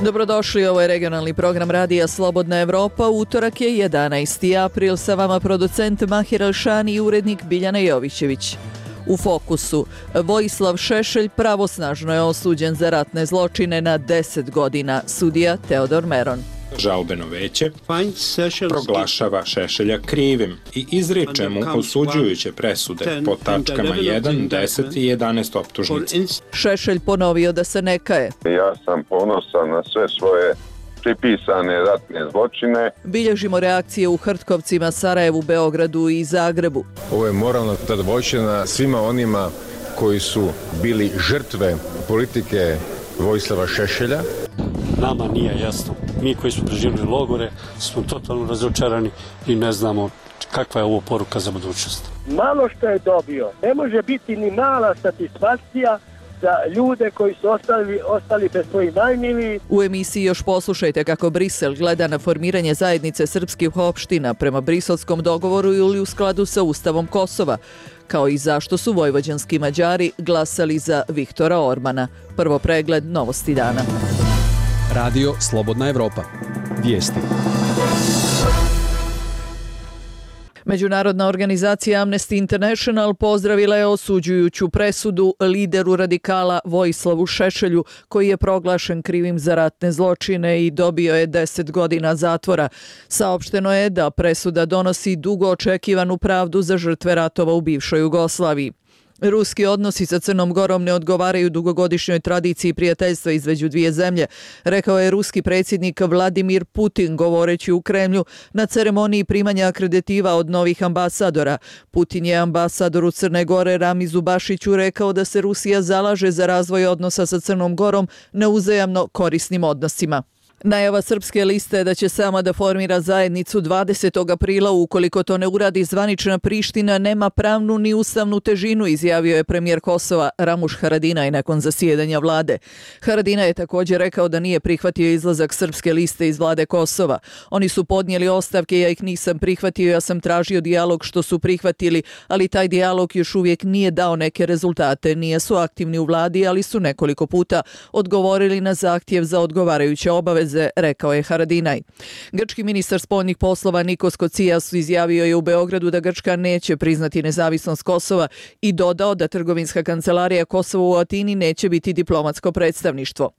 Dobrodošli, ovo je regionalni program Radija Slobodna Evropa. Utorak je 11. april, sa vama producent Mahir Alšani i urednik Biljana Jovićević. U fokusu, Vojislav Šešelj pravosnažno je osuđen za ratne zločine na 10 godina, sudija Teodor Meron. Žalbeno veće proglašava Šešelja krivim i izriče mu osuđujuće presude po tačkama 1, 10 i 11 optužnice. Šešelj ponovio da se ne kaje. Ja sam ponosan na sve svoje pripisane ratne zločine. Bilježimo reakcije u Hrtkovcima, Sarajevu, Beogradu i Zagrebu. Ovo je moralna zadovoljština svima onima koji su bili žrtve politike Vojislava Šešelja. Nama nije jasno. Mi koji smo preživjeli logore smo totalno razočarani i ne znamo kakva je ovo poruka za budućnost. Malo što je dobio, ne može biti ni mala satisfakcija za ljude koji su ostali bez svojih najmilijih. U emisiji još poslušajte kako Brisel gleda na formiranje zajednice srpskih opština prema briselskom dogovoru ili u skladu sa Ustavom Kosova, kao i zašto su vojvođanski Mađari glasali za Viktora Ormana. Prvo pregled novosti dana. Radio Slobodna Evropa. Vijesti. Međunarodna organizacija Amnesty International pozdravila je osuđujuću presudu lideru radikala Vojislavu Šešelju, koji je proglašen krivim za ratne zločine i dobio je 10 godina zatvora. Saopšteno je da presuda donosi dugo očekivanu pravdu za žrtve ratova u bivšoj Jugoslaviji. Ruski odnosi sa Crnom Gorom ne odgovaraju dugogodišnjoj tradiciji prijateljstva između dvije zemlje, rekao je ruski predsjednik Vladimir Putin govoreći u Kremlju na ceremoniji primanja akreditiva od novih ambasadora. Putin je ambasadoru Crne Gore Ramizu Bašiću rekao da se Rusija zalaže za razvoj odnosa sa Crnom Gorom na uzajamno korisnim odnosima. Najava Srpske liste je da će sama da formira zajednicu 20. aprila, ukoliko to ne uradi zvanična Priština, nema pravnu ni ustavnu težinu, izjavio je premijer Kosova Ramuš Haradinaj nakon zasjedanja vlade. Haradinaj je također rekao da nije prihvatio izlazak Srpske liste iz vlade Kosova. Oni su podnijeli ostavke, ja ih nisam prihvatio, ja sam tražio dijalog što su prihvatili, ali taj dijalog još uvijek nije dao neke rezultate. Nije su aktivni u vladi, ali su nekoliko puta odgovorili na zahtjev za odgovarajuće obaveze, rekao je Haradinaj. Grčki ministar spoljnih poslova Nikos Kocias izjavio je u Beogradu da Grčka neće priznati nezavisnost Kosova i dodao da trgovinska kancelarija Kosova u Atini neće biti diplomatsko predstavništvo.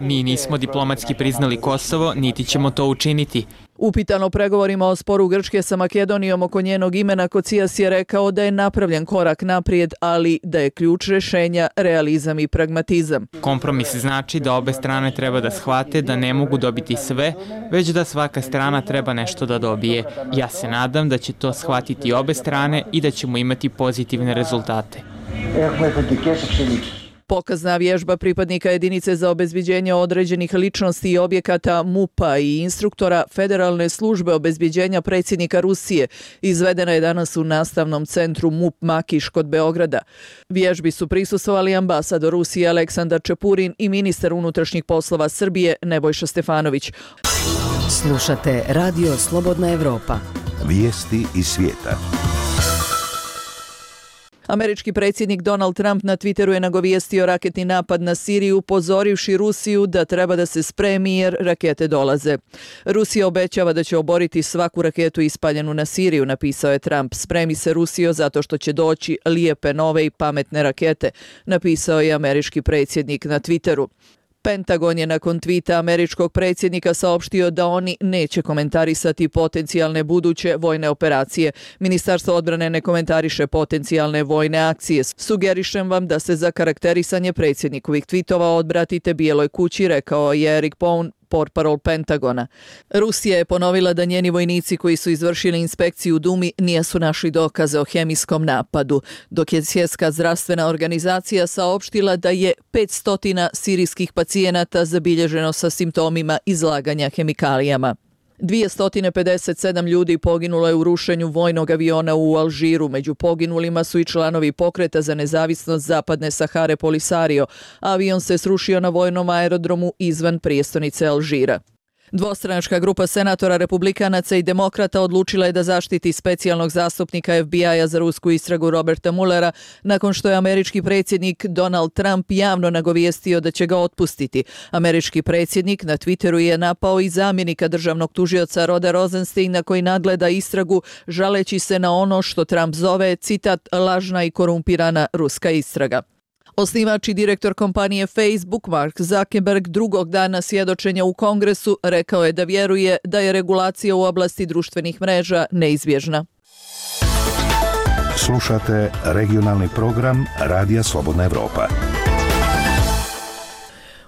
Mi nismo diplomatski priznali Kosovo, niti ćemo to učiniti. Upitan o pregovorima o sporu Grčke sa Makedonijom oko njenog imena, Kocias je rekao da je napravljen korak naprijed, ali da je ključ rješenja realizam i pragmatizam. Kompromis znači da obe strane treba da shvate da ne mogu dobiti sve, već da svaka strana treba nešto da dobije. Ja se nadam da će to shvatiti obe strane i da ćemo imati pozitivne rezultate. Pokazna vježba pripadnika jedinice za obezbeđenje određenih ličnosti i objekata MUP-a i instruktora Federalne službe obezbeđenja predsjednika Rusije izvedena je danas u nastavnom centru MUP Makiš kod Beograda. Vježbi su prisustvovali ambasador Rusije Aleksandar Čepurin i ministar unutrašnjih poslova Srbije Nebojša Stefanović. Slušate Radio Slobodna Evropa. Vijesti iz svijeta. Američki predsjednik Donald Trump na Twitteru je nagovijestio raketni napad na Siriju, upozorivši Rusiju da treba da se spremi jer rakete dolaze. Rusija obećava da će oboriti svaku raketu ispaljenu na Siriju, napisao je Trump. Spremi se Rusijo zato što će doći lijepe, nove i pametne rakete, napisao je američki predsjednik na Twitteru. Pentagon je nakon tvita američkog predsjednika saopštio da oni neće komentarisati potencijalne buduće vojne operacije. Ministarstvo odbrane ne komentariše potencijalne vojne akcije. Sugerišem vam da se za karakterisanje predsjednikovih tvitova odbratite Bijeloj kući, rekao je Eric Pound, portparol Pentagona. Rusija je ponovila da njeni vojnici koji su izvršili inspekciju u Dumi nisu našli dokaze o hemijskom napadu, dok je Svjetska zdravstvena organizacija saopštila da je 500 sirijskih pacijenata zabilježeno sa simptomima izlaganja hemikalijama. 257 ljudi poginulo je u rušenju vojnog aviona u Alžiru. Među poginulima su i članovi pokreta za nezavisnost Zapadne Sahare Polisario. Avion se srušio na vojnom aerodromu izvan prijestolnice Alžira. Dvostranačka grupa senatora republikanaca i demokrata odlučila je da zaštiti specijalnog zastupnika FBI-a za rusku istragu Roberta Muellera nakon što je američki predsjednik Donald Trump javno nagovijestio da će ga otpustiti. Američki predsjednik na Twitteru je napao i zamjenika državnog tužioca Roda Rosensteina koji nadgleda istragu žaleći se na ono što Trump zove, citat, lažna i korumpirana ruska istraga. Osnivač i direktor kompanije Facebook Mark Zuckerberg drugog dana svjedočenja u Kongresu rekao je da vjeruje da je regulacija u oblasti društvenih mreža neizbježna. Slušate regionalni program Radija Slobodna Evropa.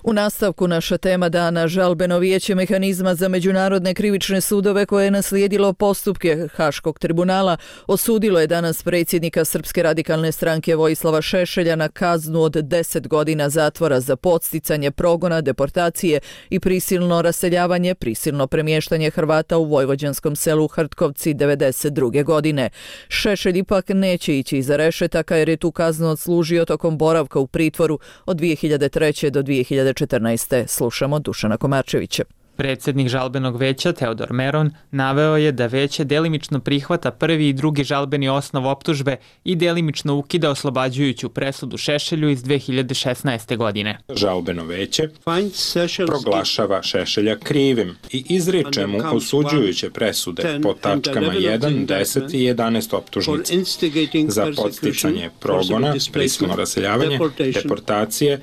U nastavku naša tema dana, žalbeno vijeće mehanizma za međunarodne krivične sudove koje je naslijedilo postupke Haškog tribunala osudilo je danas predsjednika Srpske radikalne stranke Vojislava Šešelja na kaznu od 10 godina zatvora za podsticanje progona, deportacije i prisilno raseljavanje, prisilno premještanje Hrvata u vojvođanskom selu Hrtkovci 1992. godine. Šešelj ipak neće ići iza rešetaka jer je tu kaznu odslužio tokom boravka u pritvoru od 2003. do 2014. Slušamo Dušana Komarčevića. Predsjednik žalbenog veća Teodor Meron naveo je da veće delimično prihvata prvi i drugi žalbeni osnov optužbe i delimično ukida oslobađajuću presudu Šešelju iz 2016. godine. Žalbeno veće proglašava Šešelja krivim i izriče mu osuđujuće presude po tačkama 1, 10 i 11 optužnice za podsticanje progona, prisilno raseljavanje, deportacije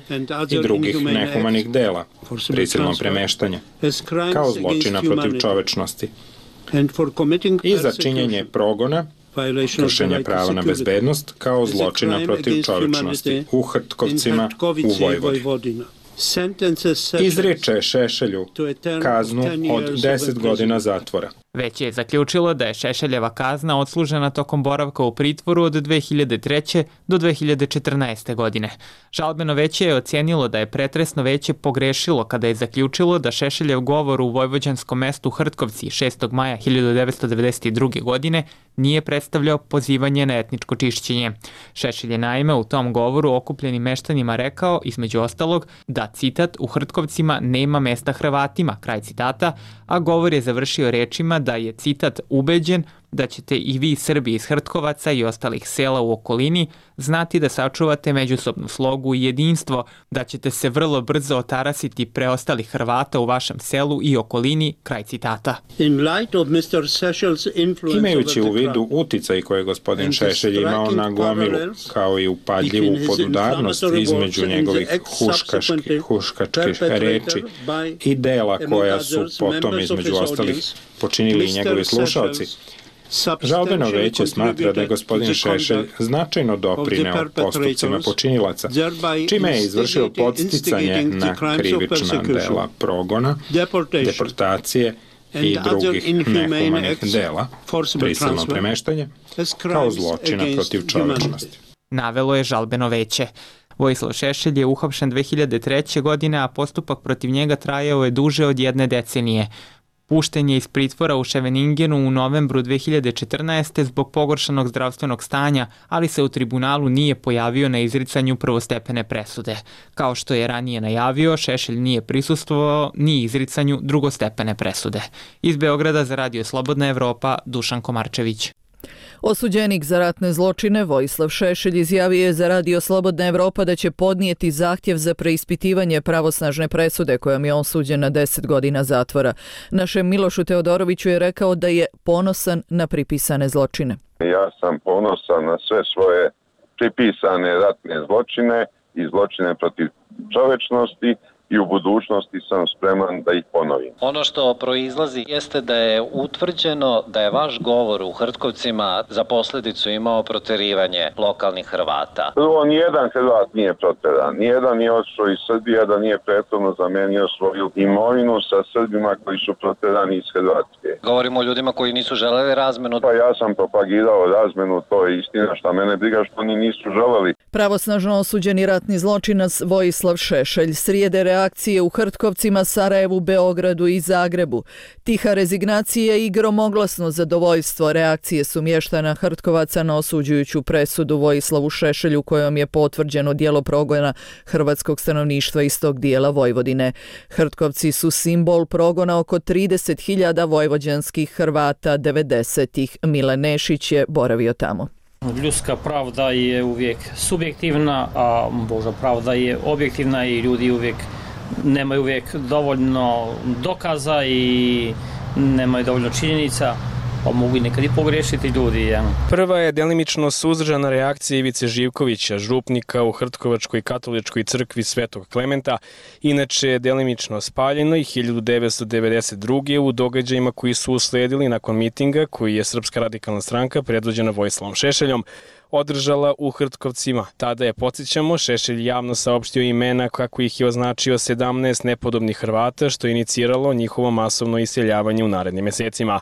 i drugih nehumanih dela, prisilno premeštanje, kao zločina protiv čovečnosti i za činjenje progona, kršenje prava na bezbednost, kao zločina protiv čovečnosti u Hrtkovcima u Vojvodini. Izriče Šešelju kaznu od 10 godina zatvora. Veće je zaključilo da je Šešeljeva kazna odslužena tokom boravka u pritvoru od 2003. do 2014. godine. Žalbeno veće je ocijenilo da je pretresno veće pogrešilo kada je zaključilo da Šešeljev govor u vojvođanskom mestu Hrtkovci 6. maja 1992. godine nije predstavljao pozivanje na etničko čišćenje. Šešelj je naime u tom govoru okupljenim meštanima rekao, između ostalog, da, citat, u Hrtkovcima nema mesta Hrvatima, kraj citata, a govor je završio rečima da je, citat, ubeđen da ćete i vi Srbi iz Hrtkovaca i ostalih sela u okolini znati da sačuvate međusobnu slogu i jedinstvo, da ćete se vrlo brzo otarasiti preostalih Hrvata u vašem selu i okolini, kraj citata. Imajući u vidu uticaj koje je gospodin Šešelj imao na gomilu, kao i upadljivu podudarnost između njegovih huškačkih reči i dela koja su potom između ostalih počinili i njegovi slušalci, žalbeno veće smatra da je gospodin Šešelj značajno doprineo postupcima počinilaca, čime je izvršio podsticanje na krivična dela progona, deportacije i drugih nehumanih dela, prisilno premeštanje, kao zločina protiv čovečnosti. Navelo je žalbeno veće. Vojislav Šešelj je uhapšen 2003. godine, a postupak protiv njega trajao je duže od 1 decenije. Pušten je iz pritvora u Ševeningenu u novembru 2014. zbog pogoršanog zdravstvenog stanja, ali se u tribunalu nije pojavio na izricanju prvostepene presude. Kao što je ranije najavio, Šešelj nije prisustvovao ni izricanju drugostepene presude. Iz Beograda za Radio Slobodna Evropa, Dušan Komarčević. Osuđenik za ratne zločine Vojislav Šešelj izjavio je za Radio Slobodna Evropa da će podnijeti zahtjev za preispitivanje pravosnažne presude kojom je osuđen na 10 godina zatvora. Našem Milošu Teodoroviću je rekao da je ponosan na pripisane zločine. Ja sam ponosan na sve svoje pripisane ratne zločine i zločine protiv čovečnosti i u budućnosti sam spreman da ih ponovim. Ono što proizlazi jeste da je utvrđeno da je vaš govor u Hrtkovcima za posljedicu imao proterivanje lokalnih Hrvata. Prvo, nijedan Hrvat nije proteran, nijedan nije otišao iz Srbije da nije prethodno zamenio svoju imovinu sa Srbima koji su proterani iz Hrvatske. Govorimo o ljudima koji nisu želeli razmenu. Pa ja sam propagirao razmenu, to je istina, šta mene briga što oni nisu želeli. Pravosnažno osuđeni ratni zločinac Vojislav Šešelj slijede reakcije u Hrtkovcima, Sarajevu, Beogradu i Zagrebu. Tiha rezignacija i gromoglasno zadovoljstvo reakcije su mještana Hrtkovaca na osuđujuću presudu Vojislavu Šešelju kojom je potvrđeno djelo progona hrvatskog stanovništva iz tog dijela Vojvodine. Hrtkovci su simbol progona oko 30.000 vojvođanskih Hrvata 90-ih. Mile Nešić je boravio tamo. Ljudska pravda je uvijek subjektivna, a Božja pravda je objektivna i ljudi uvijek nemaju uvijek dovoljno dokaza i nemaju dovoljno činjenica, pa mogu i nekad i pogriješiti ljudi. Ja. Prva je delimično suzdržana reakcija Ivice Živkovića, župnika u Hrtkovačkoj katoličkoj crkvi Svetog Klementa, inače je delimično spaljeno i 1992. u događajima koji su usledili nakon mitinga koji je Srpska radikalna stranka predvođena Vojislavom Šešeljom održala u Hrtkovcima. Tada je, podsjećamo, Šešelj javno saopštio imena kako ih je označio 17 nepodobnih Hrvata, što je iniciralo njihovo masovno iseljavanje u narednim mesecima.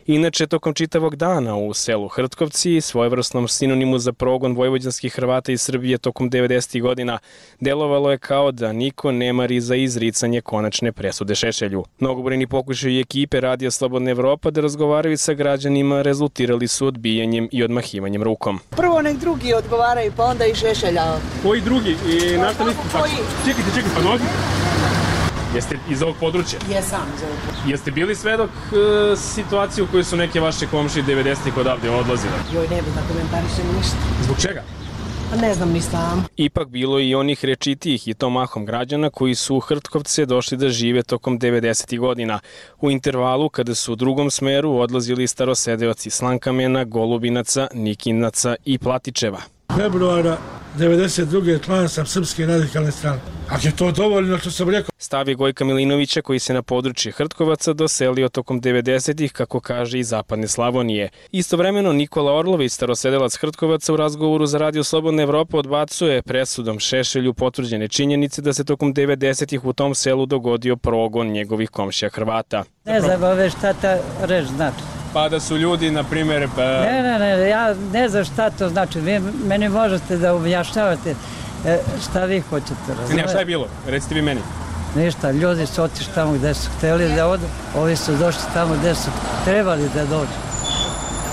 Inače, tokom čitavog dana u selu Hrtkovci, svojevrsnom sinonimu za progon vojvođanskih Hrvata iz Srbije tokom 90. godina, delovalo je kao da niko ne mari za izricanje konačne presude Šešelju. Mnogobrojni pokušaji ekipe Radija Slobodna Evropa da razgovaraju sa građanima rezultirali su odbijanjem i odmahivanjem rukom. Prvo nek drugi odgovaraju, pa onda i Šešelja. Koji drugi? I našta listu? Čekajte, pa nogi. Jeste iz ovog područja? Jesam iz ovog područja. Jeste bili svedok situacije u kojoj su neke vaše komšije 90-ih odavde odlazile? Joj, ne bi da komentarišem ništa. Zbog čega? Ne znam ni sam. Ipak bilo i onih rečitijih i to mahom građana koji su u Hrtkovce došli da žive tokom 90. godina. U intervalu kada su u drugom smeru odlazili starosedeoci Slankamena, Golubinaca, Nikinaca i Platičeva. Februara 92. član sam Srpske radikalne stranke. Ako je to dovoljno, što sam rekao. Stav je Gojka Milinovića koji se na područje Hrtkovaca doselio tokom 90-ih, kako kaže, iz zapadne Slavonije. Istovremeno Nikola Orlović, starosedelac Hrtkovaca, u razgovoru za Radio Slobodna Evropa odbacuje presudom Šešelju potvrđene činjenice da se tokom 90-ih u tom selu dogodio progon njegovih komšija Hrvata. Ne znam ove šta ta reč znači. Pa da su ljudi, na primjer... Ne, ja ne znam šta to znači. Vi meni možete da objašnjavate šta vi hoćete razumjeti. Ne, šta je bilo? Recite vi meni. Ništa, ljudi su otišli tamo gde su htjeli da odu, ovi su došli tamo gde su trebali da dođu.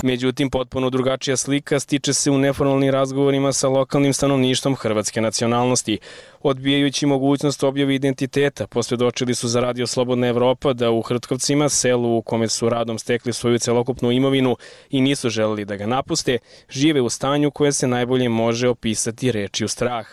Međutim, potpuno drugačija slika stiče se u neformalnim razgovorima sa lokalnim stanovništvom hrvatske nacionalnosti. Odbijajući mogućnost objave identiteta, posvjedočili su za Radio Slobodna Evropa da u Hrtkovcima, selu u kome su radom stekli svoju celokupnu imovinu i nisu želeli da ga napuste, žive u stanju koje se najbolje može opisati rečju strah.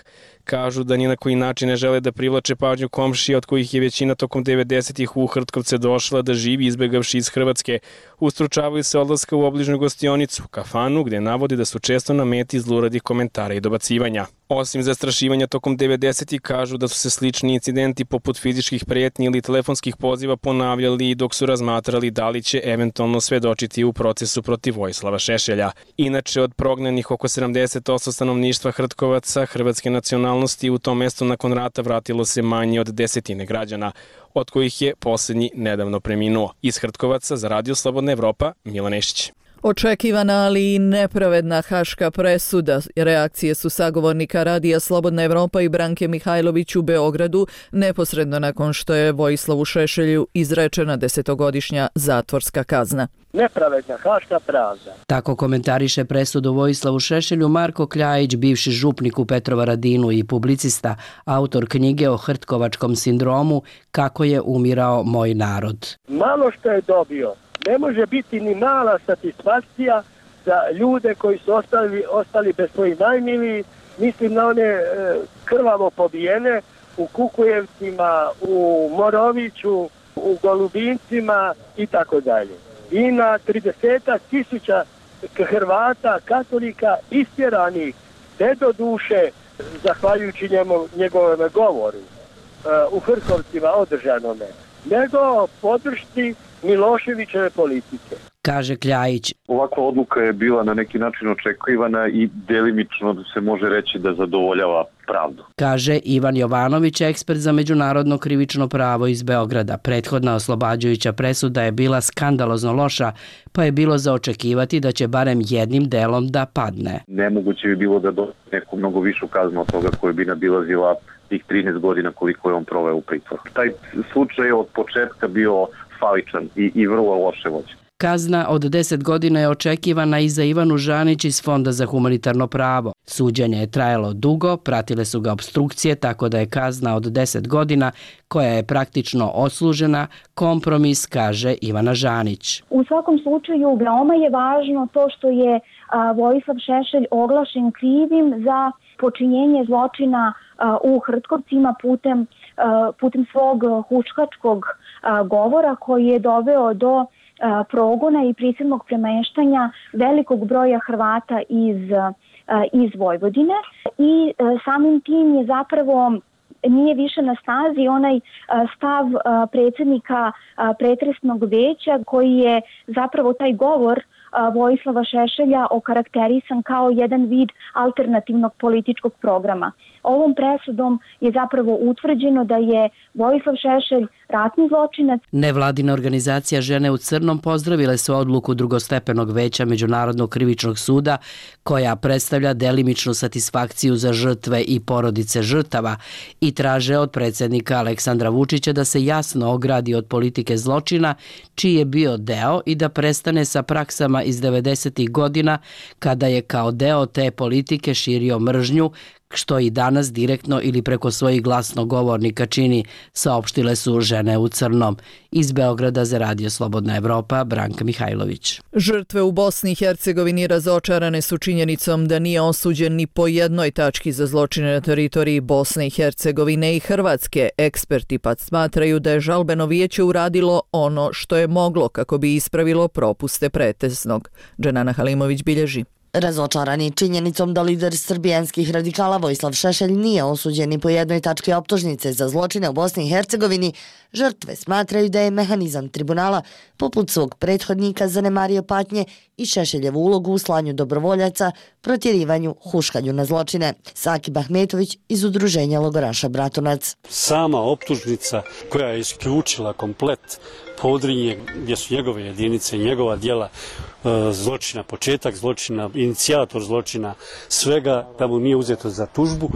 Kažu da ni na koji način ne žele da privlače pažnju komšija od kojih je većina tokom 90-ih u Hrtkovce došla da živi izbjegavši iz Hrvatske. Ustručavaju se odlaska u obližnju gostionicu, kafanu, gde navodi da su često na meti zluradih komentara i dobacivanja. Osim zastrašivanja tokom 90-ih, kažu da su se slični incidenti poput fizičkih prijetnji ili telefonskih poziva ponavljali dok su razmatrali da li će eventualno svedočiti u procesu protiv Vojislava Šešelja. Inače, od prognanih oko 70% stanovništva Hrtkovaca hrvatske nacionalnosti u tom mestu nakon rata vratilo se manje od 10 građana, od kojih je posljednji nedavno preminuo. Iz Hrtkovaca za Radio Slobodna Evropa, Mile Nešić. Očekivana, ali i nepravedna haška presuda. Reakcije su sagovornika Radija Slobodna Evropa i Branke Mihajlović u Beogradu neposredno nakon što je Vojislavu Šešelju izrečena 10-godišnja zatvorska kazna. Nepravedna haška pravda. Tako komentariše presudu Vojislavu Šešelju Marko Kljajić, bivši župnik u Petrovaradinu i publicista, autor knjige o hrtkovačkom sindromu Kako je umirao moj narod. Malo što je dobio. Ne može biti ni mala satisfakcija za ljude koji su ostali bez svojih najmilijih, mislim na one krvavo pobijene u Kukujevcima, u Moroviću, u Golubincima i tako dalje. I na 30.000 Hrvata, katolika istjeranih, ne do duše, zahvaljujući njegovom govoru u Hrtkovcima održanome, nego podršci Miloševićeve politike. kaže Kljajić. Ovakva odluka je bila na neki način očekivana i delimično se može reći da zadovoljava pravdu. Kaže Ivan Jovanović, ekspert za međunarodno krivično pravo iz Beograda. Prethodna oslobađajuća presuda je bila skandalozno loša, pa je bilo za očekivati da će barem jednim delom da padne. Nemoguće bi bilo da dobije neku mnogo višu kaznu od toga koja bi nabilazila tih 13 godina koliko je on proveo u pritvoru. Taj slučaj je od početka bio faličan i vrlo loše vođen. Kazna od 10 godina je očekivana i za Ivanu Žanić iz Fonda za humanitarno pravo. Suđenje je trajalo dugo, pratile su ga opstrukcije, tako da je kazna od 10 godina, koja je praktično odslužena, kompromis, kaže Ivana Žanić. U svakom slučaju veoma je važno to što je Vojislav Šešelj oglašen krivim za počinjenje zločina u Hrtkovcima putem svog huškačkog govora koji je doveo do progona i prisilnog premeštanja velikog broja Hrvata iz Vojvodine i samim tim je zapravo nije više na snazi onaj stav predsjednika pretresnog veća koji je zapravo taj govor Vojislava Šešelja okarakterisan kao jedan vid alternativnog političkog programa. Ovom presudom je zapravo utvrđeno da je Vojislav Šešelj ratni zločinac. Nevladina organizacija Žene u crnom pozdravile su odluku drugostepenog veća Međunarodnog krivičnog suda koja predstavlja delimičnu satisfakciju za žrtve i porodice žrtava i traže od predsjednika Aleksandra Vučića da se jasno ogradi od politike zločina čiji je bio deo i da prestane sa praksama iz 90. godina kada je kao deo te politike širio mržnju, što i danas direktno ili preko svojih glasnogovornika čini, saopštile su Žene u crnom. Iz Beograda za Radio Slobodna Evropa, Branka Mihajlović. Žrtve u Bosni i Hercegovini razočarane su činjenicom da nije osuđen ni po jednoj tački za zločine na teritoriji Bosne i Hercegovine i Hrvatske. Eksperti pak smatraju da je žalbeno vijeće uradilo ono što je moglo kako bi ispravilo propuste pretesnog. Dženana Halimović bilježi. Razočarani činjenicom da lider srbijanskih radikala Vojislav Šešelj nije osuđen ni po jednoj tački optužnice za zločine u Bosni i Hercegovini, žrtve smatraju da je mehanizam tribunala poput svog prethodnika zanemario patnje i Šešeljevu ulogu u slanju dobrovoljaca, protjerivanju, huškanju na zločine. Sakib Ahmetović iz udruženja logoraša Bratunac. Sama optužnica koja je isključila komplet Podrinje, gdje su njegove jedinice, njegova djela zločina, početak zločina, inicijator zločina, svega da mu nije uzeto za tužbu,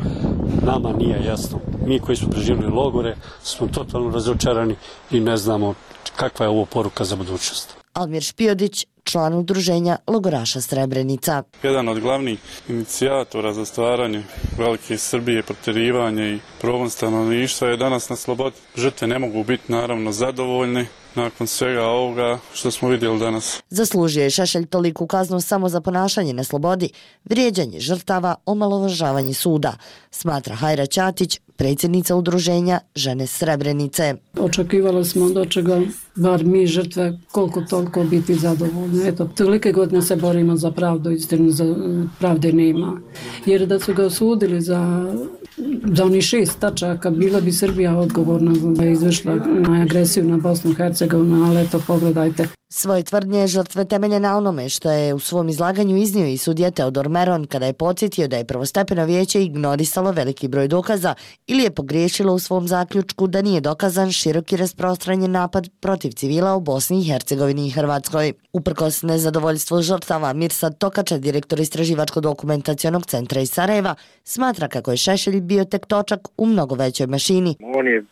nama nije jasno. Mi koji smo preživjeli logore smo totalno razočarani i ne znamo kakva je ovo poruka za budućnost. Almir Špijodić, član udruženja logoraša Srebrenica. Jedan od glavnih inicijatora za stvaranje velike Srbije, protjerivanje i progon stanovništva je danas na slobodi. Žrtve ne mogu biti naravno zadovoljne nakon svega ovoga što smo vidjeli danas. Zaslužio je Šešelj toliku kaznu samo za ponašanje na slobodi, vrijeđanje žrtava, omalovažavanje suda, smatra Hajra Ćatić, predsjednica udruženja Žene Srebrenice. Očekivali smo da će ga, bar mi žrtve, koliko toliko biti zadovoljni. Eto, tolike godine se borimo za pravdu, istinu za pravde nema. Jer da su ga osudili za onih 6 tačaka, bila bi Srbija odgovorna da je izvršila na agresiju na Bosnu i Hercegovinu, ali eto, pogledajte. Svoje tvrdnje žrtve temelje na onome što je u svom izlaganju iznio i sudija Teodor Meron kada je podsjetio da je prvostepeno vijeće ignorisalo veliki broj dokaza ili je pogriješilo u svom zaključku da nije dokazan široki rasprostranjen napad protiv civila u Bosni i Hercegovini i Hrvatskoj. Uprkos nezadovoljstvu žrtava, Mirsad Tokača, direktor Istraživačko-dokumentacionog centra iz Sarajeva, smatra kako je Šešelj bio tek točak u mnogo većoj mašini. On je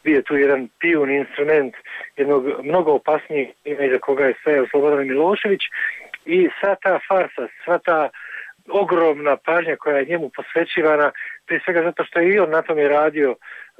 bio tu jedan pijun instrument jednog mnogo opasnijeg iza koga je stajao Slobodan Milošević i sva ta farsa, sva ta ogromna pažnja koja je njemu posvećivana, prije svega zato što je i on na tome radio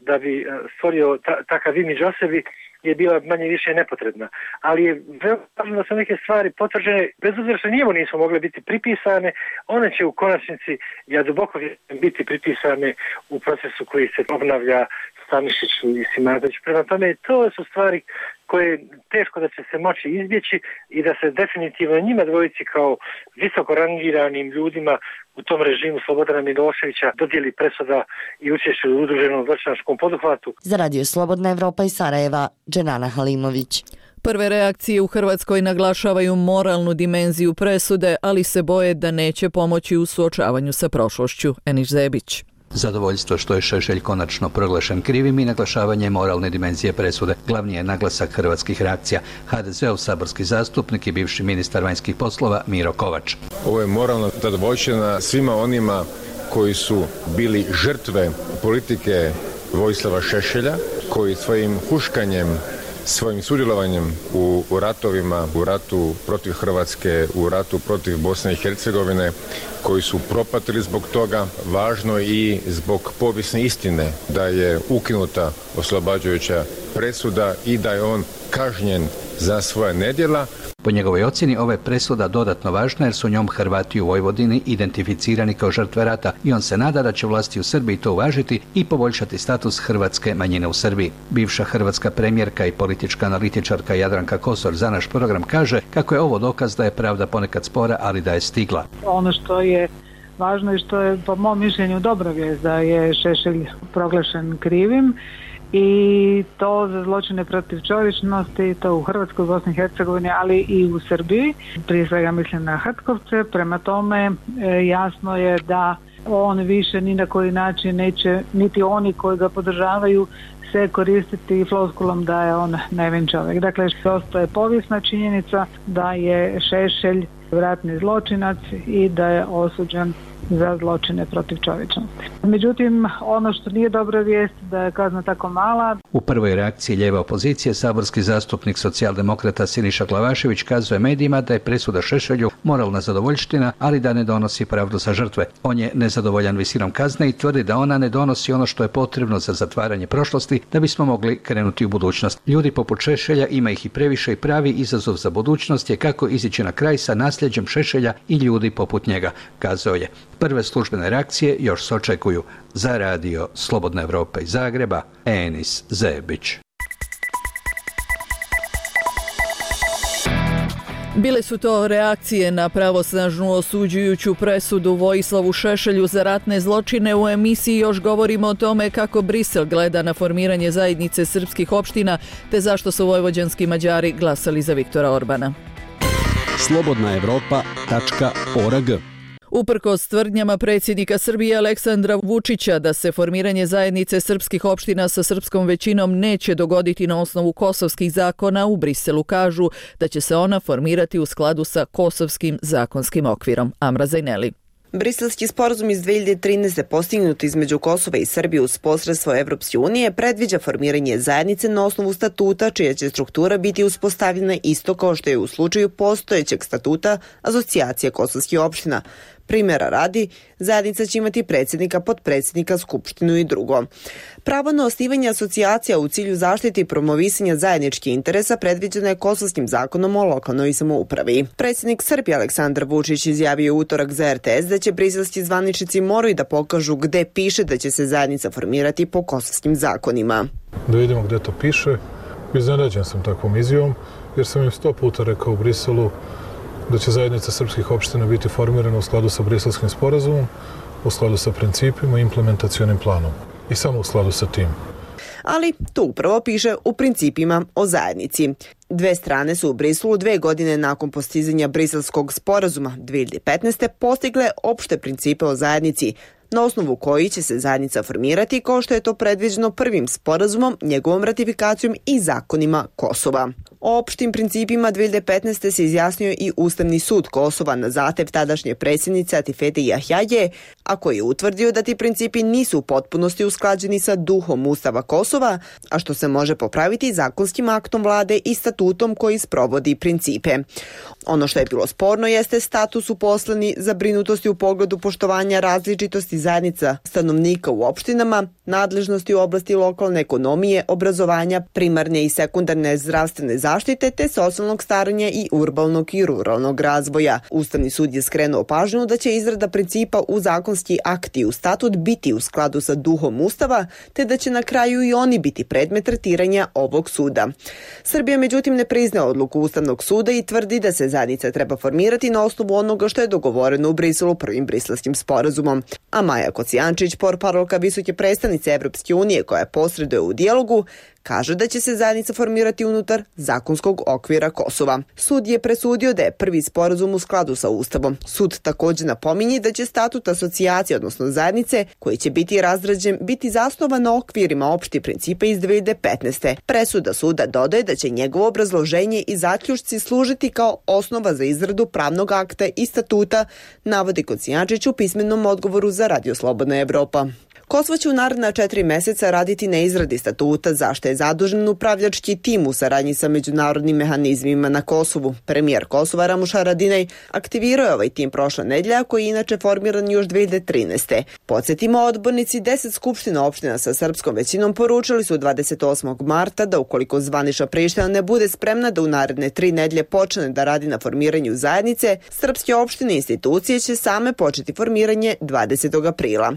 da bi stvorio takav imidž o sebi, je bila manje više nepotrebna. Ali je veoma važno da su neke stvari potvrđene, bez obzira što njemu nisu mogle biti pripisane, one će u konačnici, ja duboko vjerujem, biti pripisane u procesu koji se obnavlja Stanišiću i Simardoviću. Prema tome, to su stvari koje teško da će se moći izbjeći i da se definitivno njima dvojici kao visoko rangiranim ljudima u tom režimu Slobodana Miloševića dodijeli presuda i učešće u udruženom zločinačkom poduhvatu. Za Radio Slobodna Evropa iz Sarajeva, Dženana Halimović. Prve reakcije u Hrvatskoj naglašavaju moralnu dimenziju presude, ali se boje da neće pomoći u suočavanju sa prošlošću. Eniš Zebić. Zadovoljstvo što je Šešelj konačno proglašen krivim i naglašavanje moralne dimenzije presude. Glavni je naglasak hrvatskih reakcija. HDZ-ov saborski zastupnik i bivši ministar vanjskih poslova Miro Kovač. Ovo je moralna zadovoljština svima onima koji su bili žrtve politike Vojislava Šešelja, koji svojim huškanjem, svojim sudjelovanjem u ratovima, u ratu protiv Hrvatske, u ratu protiv Bosne i Hercegovine, koji su propatili zbog toga, važno i zbog povijesne istine da je ukinuta oslobađajuća presuda i da je on kažnjen za svoja nedjela. Po njegovoj ocjeni ova je presuda dodatno važna jer su njom Hrvati u Vojvodini identificirani kao žrtve rata i on se nada da će vlasti u Srbiji to uvažiti i poboljšati status hrvatske manjine u Srbiji. Bivša hrvatska premijerka i politička analitičarka Jadranka Kosor za naš program kaže kako je ovo dokaz da je pravda ponekad spora, ali da je stigla. Ono što je važno i što je po mom mišljenju dobra vijest da je Šešelj proglašen krivim i to za zločine protiv čovječnosti, to u Hrvatskoj, Bosni i Hercegovini, ali i u Srbiji. Prije svega mislim na Hrtkovce, prema tome jasno je da on više ni na koji način neće, niti oni koji ga podržavaju, se koristiti floskulom da je on nevin čovjek. Dakle, ostaje povijesna činjenica da je Šešelj ratni zločinac i da je osuđen za zločine protiv čovječnosti. Međutim, ono što nije dobra vijest da je kazna tako mala. U prvoj reakciji lijeve opozicije saborski zastupnik socijaldemokrata Siniša Glavašević kazuje medijima da je presuda Šešelju moralna zadovoljština, ali da ne donosi pravdu za žrtve. On je nezadovoljan visinom kazne i tvrdi da ona ne donosi ono što je potrebno za zatvaranje prošlosti da bismo mogli krenuti u budućnost. Ljudi poput Šešelja, ima ih i previše i pravi izazov za budućnost je kako izići na kraj sa nasljeđem Šešelja i ljudi poput njega, kazao je. Prve službene reakcije još se očekuju. Za radio Slobodna Evropa iz Zagreba, Enis Zebić. Bile su to reakcije na pravosnažnu osuđujuću presudu Vojislavu Šešelju za ratne zločine. U emisiji još govorimo o tome kako Brisel gleda na formiranje zajednice srpskih opština te zašto su vojvođanski Mađari glasali za Viktora Orbana. slobodnaevropa.org. Uprkos tvrdnjama predsjednika Srbije Aleksandra Vučića da se formiranje zajednice srpskih opština sa srpskom većinom neće dogoditi na osnovu kosovskih zakona, u Briselu kažu da će se ona formirati u skladu sa kosovskim zakonskim okvirom. Amra Zajneli. Briselski sporazum iz 2013. postignut između Kosova i Srbije uz posredstvo Evropske unije predviđa formiranje zajednice na osnovu statuta čija će struktura biti uspostavljena isto kao što je u slučaju postojećeg statuta Asocijacije kosovskih opština. Primjera radi, zajednica će imati predsjednika, potpredsjednika, skupštinu i drugo. Pravo na osnivanje asocijacija u cilju zaštite i promovisanja zajedničkih interesa predviđeno je Kosovskim zakonom o lokalnoj samoupravi. Predsjednik Srbije Aleksandar Vučić izjavio u utorak za RTS da će briselski zvaničnici moraju da pokažu gde piše da će se zajednica formirati po kosovskim zakonima. Da vidimo gde to piše. Iznenađen sam takvom izjavom jer sam im 100 puta rekao u Briselu da će zajednica srpskih opština biti formirana u skladu sa Briselskim sporazumom, u skladu sa principima i implementacionim planom. I samo u skladu sa tim. Ali to upravo piše u principima o zajednici. Dve strane su u Briselu 2 godine nakon postizanja Briselskog sporazuma 2015. postigle opšte principe o zajednici, na osnovu koji će se zajednica formirati kao što je to predviđeno prvim sporazumom, njegovom ratifikacijom i zakonima Kosova. O opštim principima 2015. se izjasnio i Ustavni sud Kosova na zahtev tadašnje predsjednice Atifete Jahjaje, a koji je utvrdio da ti principi nisu u potpunosti usklađeni sa duhom Ustava Kosova, a što se može popraviti zakonskim aktom vlade i statutom koji sprovodi principe. Ono što je bilo sporno jeste status uposleni, zabrinutosti u pogledu poštovanja različitosti zajednica stanovnika u opštinama, nadležnosti u oblasti lokalne ekonomije, obrazovanja, primarne i sekundarne zdravstvene zaštite te socijalnog staranja i urbanog i ruralnog razvoja. Ustavni sud je skrenuo pažnju da će izrada principa u zakonski akti u statut biti u skladu sa duhom Ustava, te da će na kraju i oni biti predmet tretiranja ovog suda. Srbija međutim ne priznaje odluku Ustavnog suda i tvrdi da se zajednica treba formirati na osnovu onoga što je dogovoreno u Briselu prvim briselskim sporazumom. A Maja Kocijančić, portparolka visoke predstavnice članice Evropske unije koja posreduje u dijalogu, kaže da će se zajednica formirati unutar zakonskog okvira Kosova. Sud je presudio da je prvi sporazum u skladu sa Ustavom. Sud također napominje da će statut asocijacije, odnosno zajednice, koji će biti razrađen, biti zasnovan na okvirima opštih principa iz 2015. Presuda suda dodaje da će njegovo obrazloženje i zaključci služiti kao osnova za izradu pravnog akta i statuta, navodi Kocijančić u pismenom odgovoru za Radio Slobodna Evropa. Kosovo će u naredna 4 meseca raditi na izradi statuta, za što je zadužen upravljački tim u saradnji sa međunarodnim mehanizmima na Kosovu. Premijer Kosova Ramuš Haradinaj aktivirao je ovaj tim prošle nedelje, koji je inače formiran još 2013. Podsjetimo, odbornici 10 skupština opština sa srpskom većinom poručili su 28. marta da ukoliko zvanična Priština ne bude spremna da u naredne 3 nedelje počne da radi na formiranju zajednice, srpske opštine i institucije će same početi formiranje 20. aprila.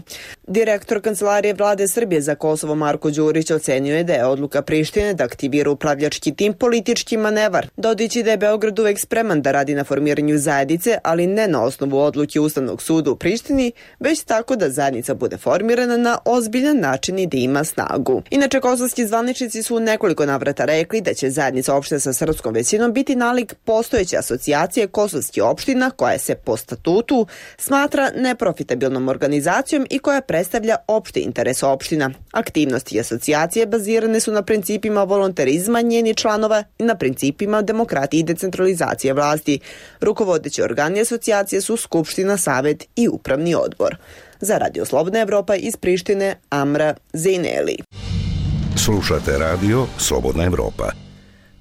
Direktor Kancelarije Vlade Srbije za Kosovo Marko Đurić ocenio je da je odluka Prištine da aktivira upravljački tim politički manevar, dodajući da je Beograd uvek spreman da radi na formiranju zajednice, ali ne na osnovu odluke Ustavnog suda u Prištini, već tako da zajednica bude formirana na ozbiljan način i da ima snagu. Inače, kosovski zvaničnici su u nekoliko navrata rekli da će zajednica opština sa srpskom većinom biti nalik postojeće asocijacije kosovskih opština, koja se po statutu smatra neprofitabilnom organizacijom i koja predstavlja opšti interes opština. Aktivnosti asocijacije bazirane su na principima volonterizma njenih članova i na principima demokratije i decentralizacije vlasti. Rukovodeći organi asocijacije su Skupština, Savet i Upravni odbor. Za Radio Slobodna Evropa iz Prištine, Amra Zejneli. Slušate Radio Slobodna Evropa.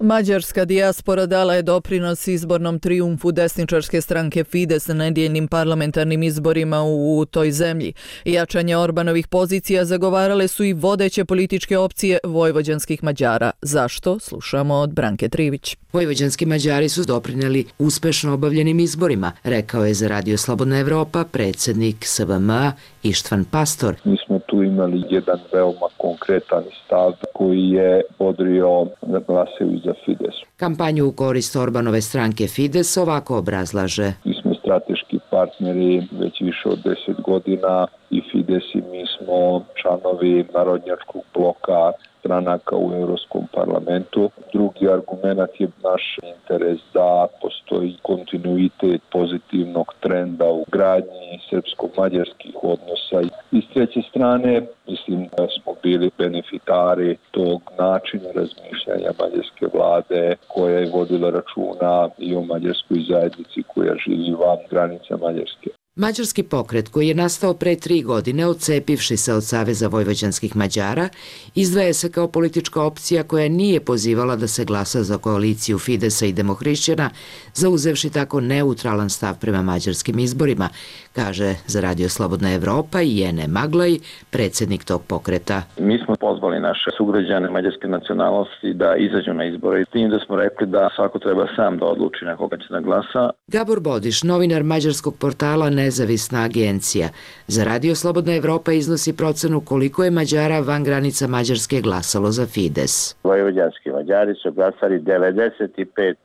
Mađarska dijaspora dala je doprinos izbornom trijumfu desničarske stranke Fides na nedjeljnim parlamentarnim izborima u toj zemlji. Jačanje Orbanovih pozicija zagovarale su i vodeće političke opcije vojvođanskih Mađara. Zašto? Slušamo od Branke Trivić. Vojvođanski Mađari su doprineli uspešno obavljenim izborima, rekao je za Radio Slobodna Evropa predsjednik SVM-a Ištvan Pastor. Mi smo tu imali jedan veoma konkretan stav koji je bodrio da glasaju za Fides. Kampanju u korist Orbanove stranke Fides ovako obrazlaže. Mi smo strateški partneri već više od 10 godina i Fides i mi smo članovi narodnjačkog bloka stranaka u Europskom parlamentu. Drugi argument je naš interes da postoji kontinuitet pozitivnog trenda u gradnji srpsko-mađarskih odnosa. I s treće strane, mislim da smo bili benefitari tog načina razmišljanja mađarske vlade koja je vodila računa i o mađarskoj zajednici koja živi van granica Mađarske. Mađarski pokret, koji je nastao pre 3 godine odcepivši se od Saveza vojvođanskih Mađara, izdvaja se kao politička opcija koja nije pozivala da se glasa za koaliciju Fidesa i Demohrišćana, zauzevši tako neutralan stav prema mađarskim izborima, kaže za Radio Slobodna Evropa i Jene Maglaj, predsjednik tog pokreta. Mi smo pozvali naše sugrađane mađarske nacionalnosti da izađu na izbore, tim da smo rekli da svako treba sam da odluči na koga će da glasa. Gabor Bodiš, novinar mađarskog portala Nezavisna agencija, za Radio Slobodna Evropa iznosi procenu koliko je Mađara van granica Mađarske glasalo za Fides. Vojvođanski Mađari su glasali 95%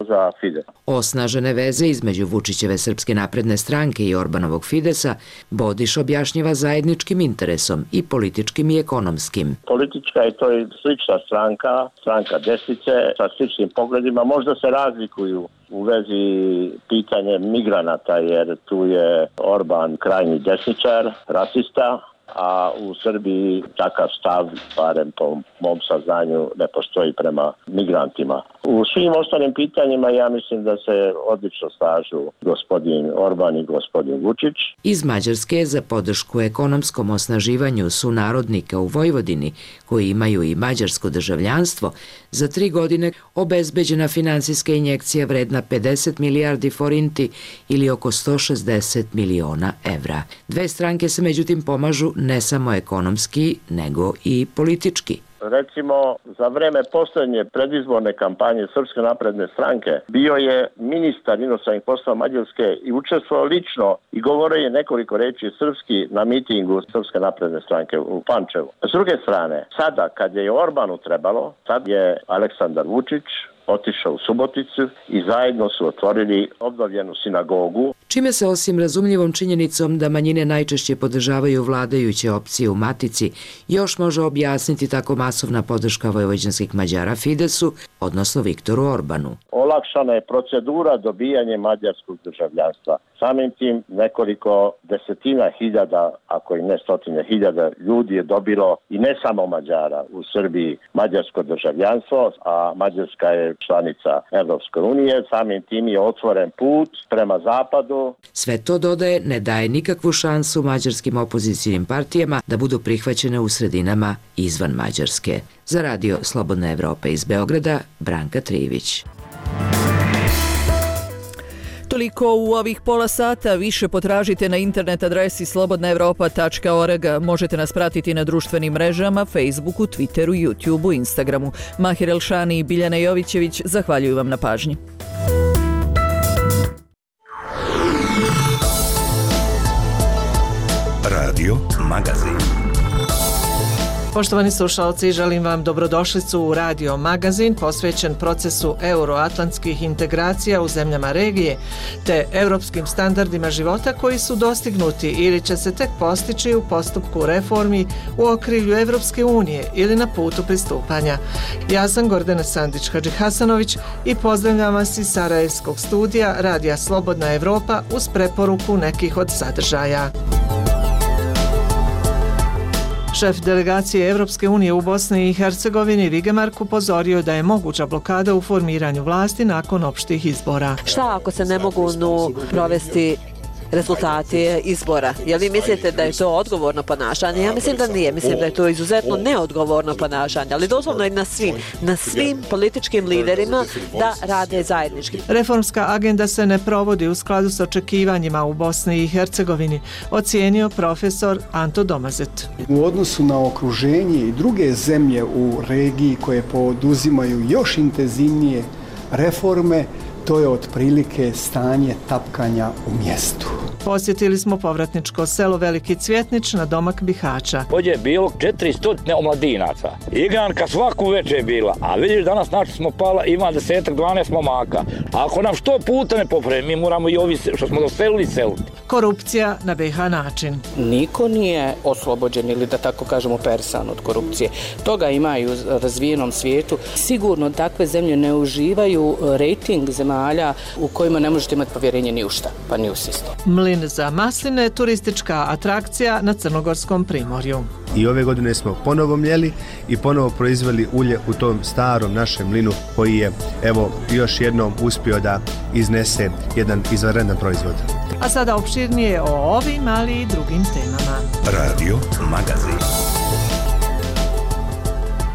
za Fides. Osnažene veze između Vučićeve Srpske napredne stranke i Orbanovog Fidesa Bodiš objašnjava zajedničkim interesom i političkim i ekonomskim. Politička je to slična stranka desnice sa sličnim pogledima, možda se razlikuju u vezi pitanje migranata, jer tu je Orban krajnji desničar, rasista, a u Srbiji takav stav, barem po mom saznanju, ne postoji prema migrantima. U svim ostalim pitanjima ja mislim da se odlično slažu gospodin Orban i gospodin Vučić. Iz Mađarske za podršku ekonomskom osnaživanju sunarodnika u Vojvodini, koji imaju i mađarsko državljanstvo, za 3 godine obezbeđena finansijska injekcija vredna 50 milijardi forinti ili oko 160 miliona evra. Dve stranke se međutim pomažu ne samo ekonomski, nego i politički. Recimo, za vreme poslednje predizborne kampanje Srpske napredne stranke bio je ministar inostranih poslova Mađarske i učestvovao lično i govorio je nekoliko reči srpski na mitingu Srpske napredne stranke u Pančevu. S druge strane, sada kad je Orbanu trebalo, sad je Aleksandar Vučić otišao u Suboticu i zajedno su otvorili obnovljenu sinagogu. Čime se osim razumljivom činjenicom da manjine najčešće podržavaju vladajuće opcije u Matici, još može objasniti tako masovna podrška vojvođanskih Mađara Fidesu, odnosno Viktoru Orbanu. Olakšana je procedura dobijanja mađarskog državljanstva. Samim tim nekoliko desetina hiljada, ako i ne stotine hiljada ljudi je dobilo, i ne samo Mađara, u Srbiji mađarsko državljanstvo, a Mađarska je članica Evropske unije. Samim tim je otvoren put prema zapadu. Sve to, dodaje, ne daje nikakvu šansu mađarskim opozicijnim partijama da budu prihvaćene u sredinama izvan Mađarske. Za radio Slobodna Evropa iz Beograda, Branka Trivić. Toliko u ovih pola sata. Više potražite na internet adresi slobodnaevropa.org. Možete nas pratiti na društvenim mrežama, Facebooku, Twitteru, YouTubeu, Instagramu. Mahir Elšani i Biljana Jovićević zahvaljuju vam na pažnji. Radio Magazin. Poštovani slušalci, želim vam dobrodošlicu u Radio Magazin posvećen procesu euroatlantskih integracija u zemljama regije te europskim standardima života koji su dostignuti ili će se tek postići u postupku reformi u okrilju Evropske unije ili na putu pristupanja. Ja sam Gordana Sandić-Hadžihasanović i pozdravljam vas iz Sarajevskog studija Radija Slobodna Evropa uz preporuku nekih od sadržaja. Šef delegacije Evropske unije u Bosni i Hercegovini Vigemark upozorio da je moguća blokada u formiranju vlasti nakon opštih izbora. Šta ako se ne mogu provesti rezultati izbora? Jel vi mislite da je to odgovorno ponašanje? Ja mislim da nije. Mislim da je to izuzetno neodgovorno ponašanje, ali doslovno je na svim političkim liderima da rade zajednički. Reformska agenda se ne provodi u skladu s očekivanjima u Bosni i Hercegovini, ocijenio profesor Anto Domazet. U odnosu na okruženje i druge zemlje u regiji koje poduzimaju još intenzivnije reforme, to je otprilike stanje tapkanja u mjestu. Posjetili smo povratničko selo Veliki Cvjetnić na domak Bihaća. Ovdje je bilo 400 omladinaca. Igranka svaku večer je bila, a vidiš danas naši smo pala, ima 10-12 momaka. A ako nam 100 puta ne popremi, mi moramo i ovi što smo doselili seliti. Korupcija na BiH način. Niko nije oslobođen ili da tako kažemo persan od korupcije. Toga ima i u razvijenom svijetu. Sigurno takve zemlje ne uživaju rejting zemalja u kojima ne možete imati povjerenje ni u šta, pa ni u sistem. Mlin za masline, turistička atrakcija na Crnogorskom primorju. I ove godine smo ponovo mljeli i ponovo proizveli ulje u tom starom našem mlinu koji je evo još jednom uspio da iznese jedan izvanredan proizvod. A sada opširnije o ovim, ali i drugim temama. Radio Magazin.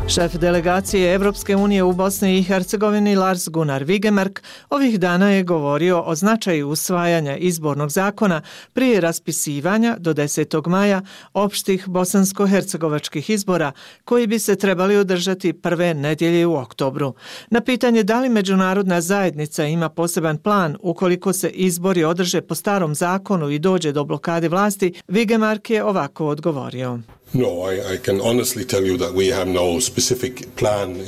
Šef delegacije Evropske unije u Bosni i Hercegovini Lars Gunnar Vigemark ovih dana je govorio o značaju usvajanja izbornog zakona prije raspisivanja do 10. maja opštih bosansko-hercegovačkih izbora koji bi se trebali održati prve nedjelje u oktobru. Na pitanje da li međunarodna zajednica ima poseban plan ukoliko se izbori održe po starom zakonu i dođe do blokade vlasti, Vigemark je ovako odgovorio.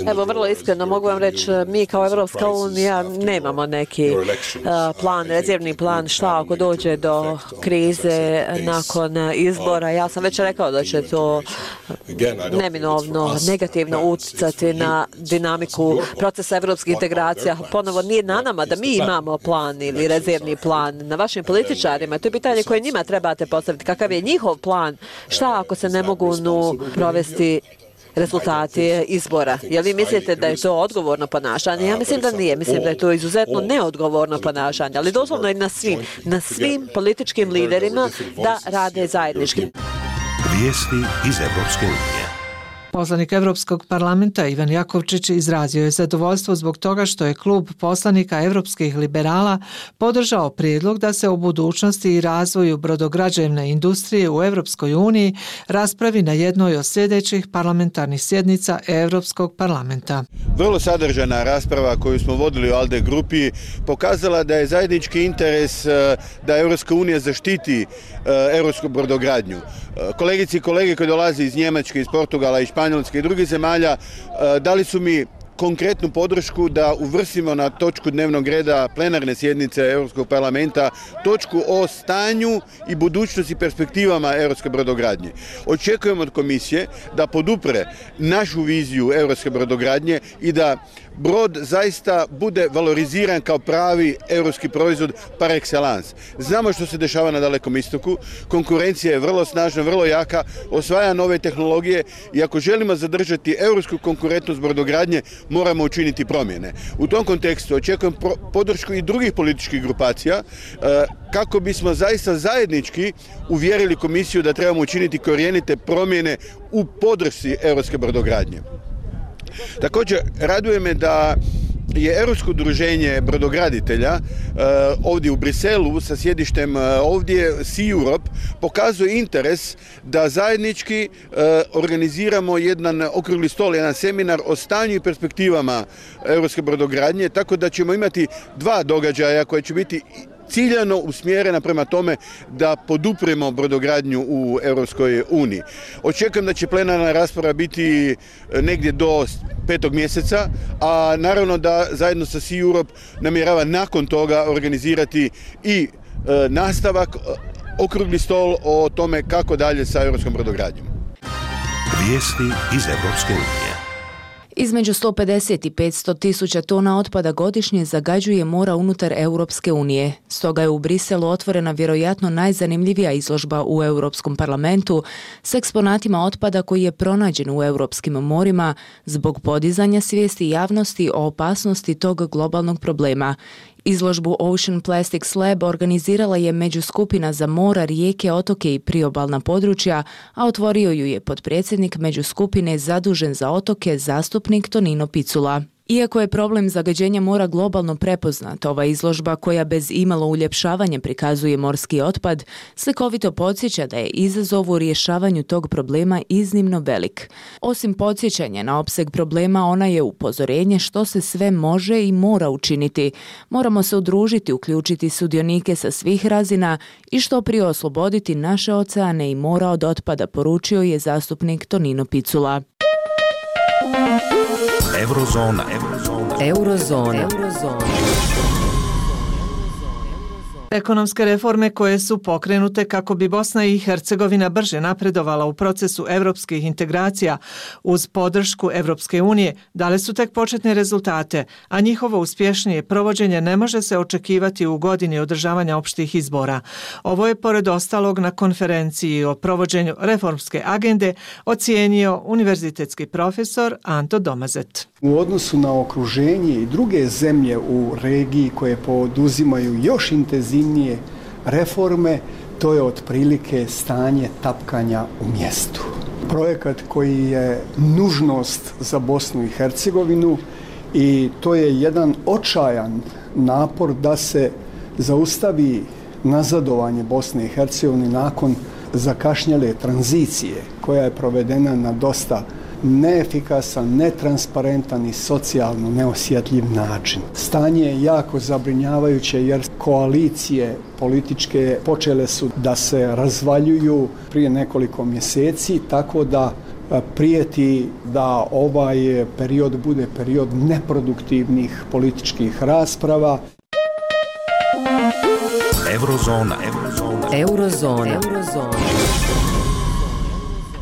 Evo, vrlo iskreno mogu vam reći, mi kao Evropska unija nemamo neki plan, rezervni plan šta ako dođe do krize nakon izbora. Ja sam već rekao da će to neminovno negativno utjecati na dinamiku procesa evropskih integracija. Ponovo nije na nama da mi imamo plan ili rezervni plan, na vašim političarima. To je pitanje koje njima trebate postaviti. Kakav je njihov plan? Šta ako se ne mogu provesti rezultati izbora? Jel vi mislite da je to odgovorno ponašanje? Ja mislim da nije. Mislim da je to izuzetno neodgovorno ponašanje, ali doslovno je na svim političkim liderima da rade zajednički. Vijesti iz Evropske unije. Poslanik Evropskog parlamenta Ivan Jakovčić izrazio je zadovoljstvo zbog toga što je klub poslanika Evropskih liberala podržao prijedlog da se o budućnosti i razvoju brodograđevne industrije u Evropskoj uniji raspravi na jednoj od sljedećih parlamentarnih sjednica Evropskog parlamenta. Vrlo sadržana rasprava koju smo vodili u ALDE grupi pokazala da je zajednički interes da Evropska unija zaštiti evropsku brodogradnju. Kolegice i kolege koji dolaze iz Njemačke, iz Portugala, iz Španjolske i drugih zemalja dali su mi konkretnu podršku da uvrstimo na točku dnevnog reda plenarne sjednice Europskog parlamenta točku o stanju i budućnosti perspektivama europske brodogradnje. Očekujemo od komisije da podupre našu viziju europske brodogradnje i da brod zaista bude valoriziran kao pravi europski proizvod par excellence. Znamo što se dešava na Dalekom istoku, konkurencija je vrlo snažna, vrlo jaka, osvaja nove tehnologije i ako želimo zadržati europsku konkurentnost brodogradnje, moramo učiniti promjene. U tom kontekstu očekujem podršku i drugih političkih grupacija kako bismo zaista zajednički uvjerili komisiju da trebamo učiniti korijenite promjene u podršci europske brodogradnje. Također, raduje me da je Europsko udruženje brodograditelja ovdje u Briselu sa sjedištem ovdje Sea Europe pokazuje interes da zajednički organiziramo jedan okrugli stol, jedan seminar o stanju i perspektivama europske brodogradnje, tako da ćemo imati 2 događaja koje će biti ciljano usmjerena prema tome da podupremo brodogradnju u Europskoj uniji. Očekujem da će plenarna rasprava biti negdje do 5. mjeseca, a naravno da zajedno sa Sea Europe namjerava nakon toga organizirati i nastavak, okrugli stol o tome kako dalje sa europskom brodogradnjom. Vijesti iz Europske unije. Između 150 i 500 tisuća tona otpada godišnje zagađuje mora unutar Europske unije. Stoga je u Briselu otvorena vjerojatno najzanimljivija izložba u Europskom parlamentu s eksponatima otpada koji je pronađen u europskim morima zbog podizanja svijesti javnosti o opasnosti tog globalnog problema. Izložbu Ocean Plastics Lab organizirala je Međuskupina za mora, rijeke, otoke i priobalna područja, a otvorio ju je potpredsjednik Međuskupine zadužen za otoke, zastupnik Tonino Picula. Iako je problem zagađenja mora globalno prepoznat, ova izložba koja bez imalo uljepšavanja prikazuje morski otpad, slikovito podsjeća da je izazov u rješavanju tog problema iznimno velik. Osim podsjećanja na opseg problema, ona je upozorenje što se sve može i mora učiniti. Moramo se udružiti, uključiti sudionike sa svih razina i što prije osloboditi naše oceane i mora od otpada, poručio je zastupnik Tonino Picula. Eurozona. Ekonomske reforme koje su pokrenute kako bi Bosna i Hercegovina brže napredovala u procesu evropskih integracija uz podršku Evropske unije dale su tek početne rezultate, a njihovo uspješnije provođenje ne može se očekivati u godini održavanja opštih izbora. Ovo je pored ostalog na konferenciji o provođenju reformske agende ocijenio univerzitetski profesor Anto Domazet. U odnosu na okruženje i druge zemlje u regiji koje poduzimaju još intenzivnije reforme, to je otprilike stanje tapkanja u mjestu. Projekat koji je nužnost za Bosnu i Hercegovinu i to je jedan očajan napor da se zaustavi nazadovanje Bosne i Hercegovine nakon zakašnjele tranzicije koja je provedena na dosta neefikasan, netransparentan i socijalno neosjetljiv način. Stanje je jako zabrinjavajuće jer koalicije političke počele su da se razvaljuju prije nekoliko mjeseci, tako da prijeti da ovaj period bude period neproduktivnih političkih rasprava. Eurozona.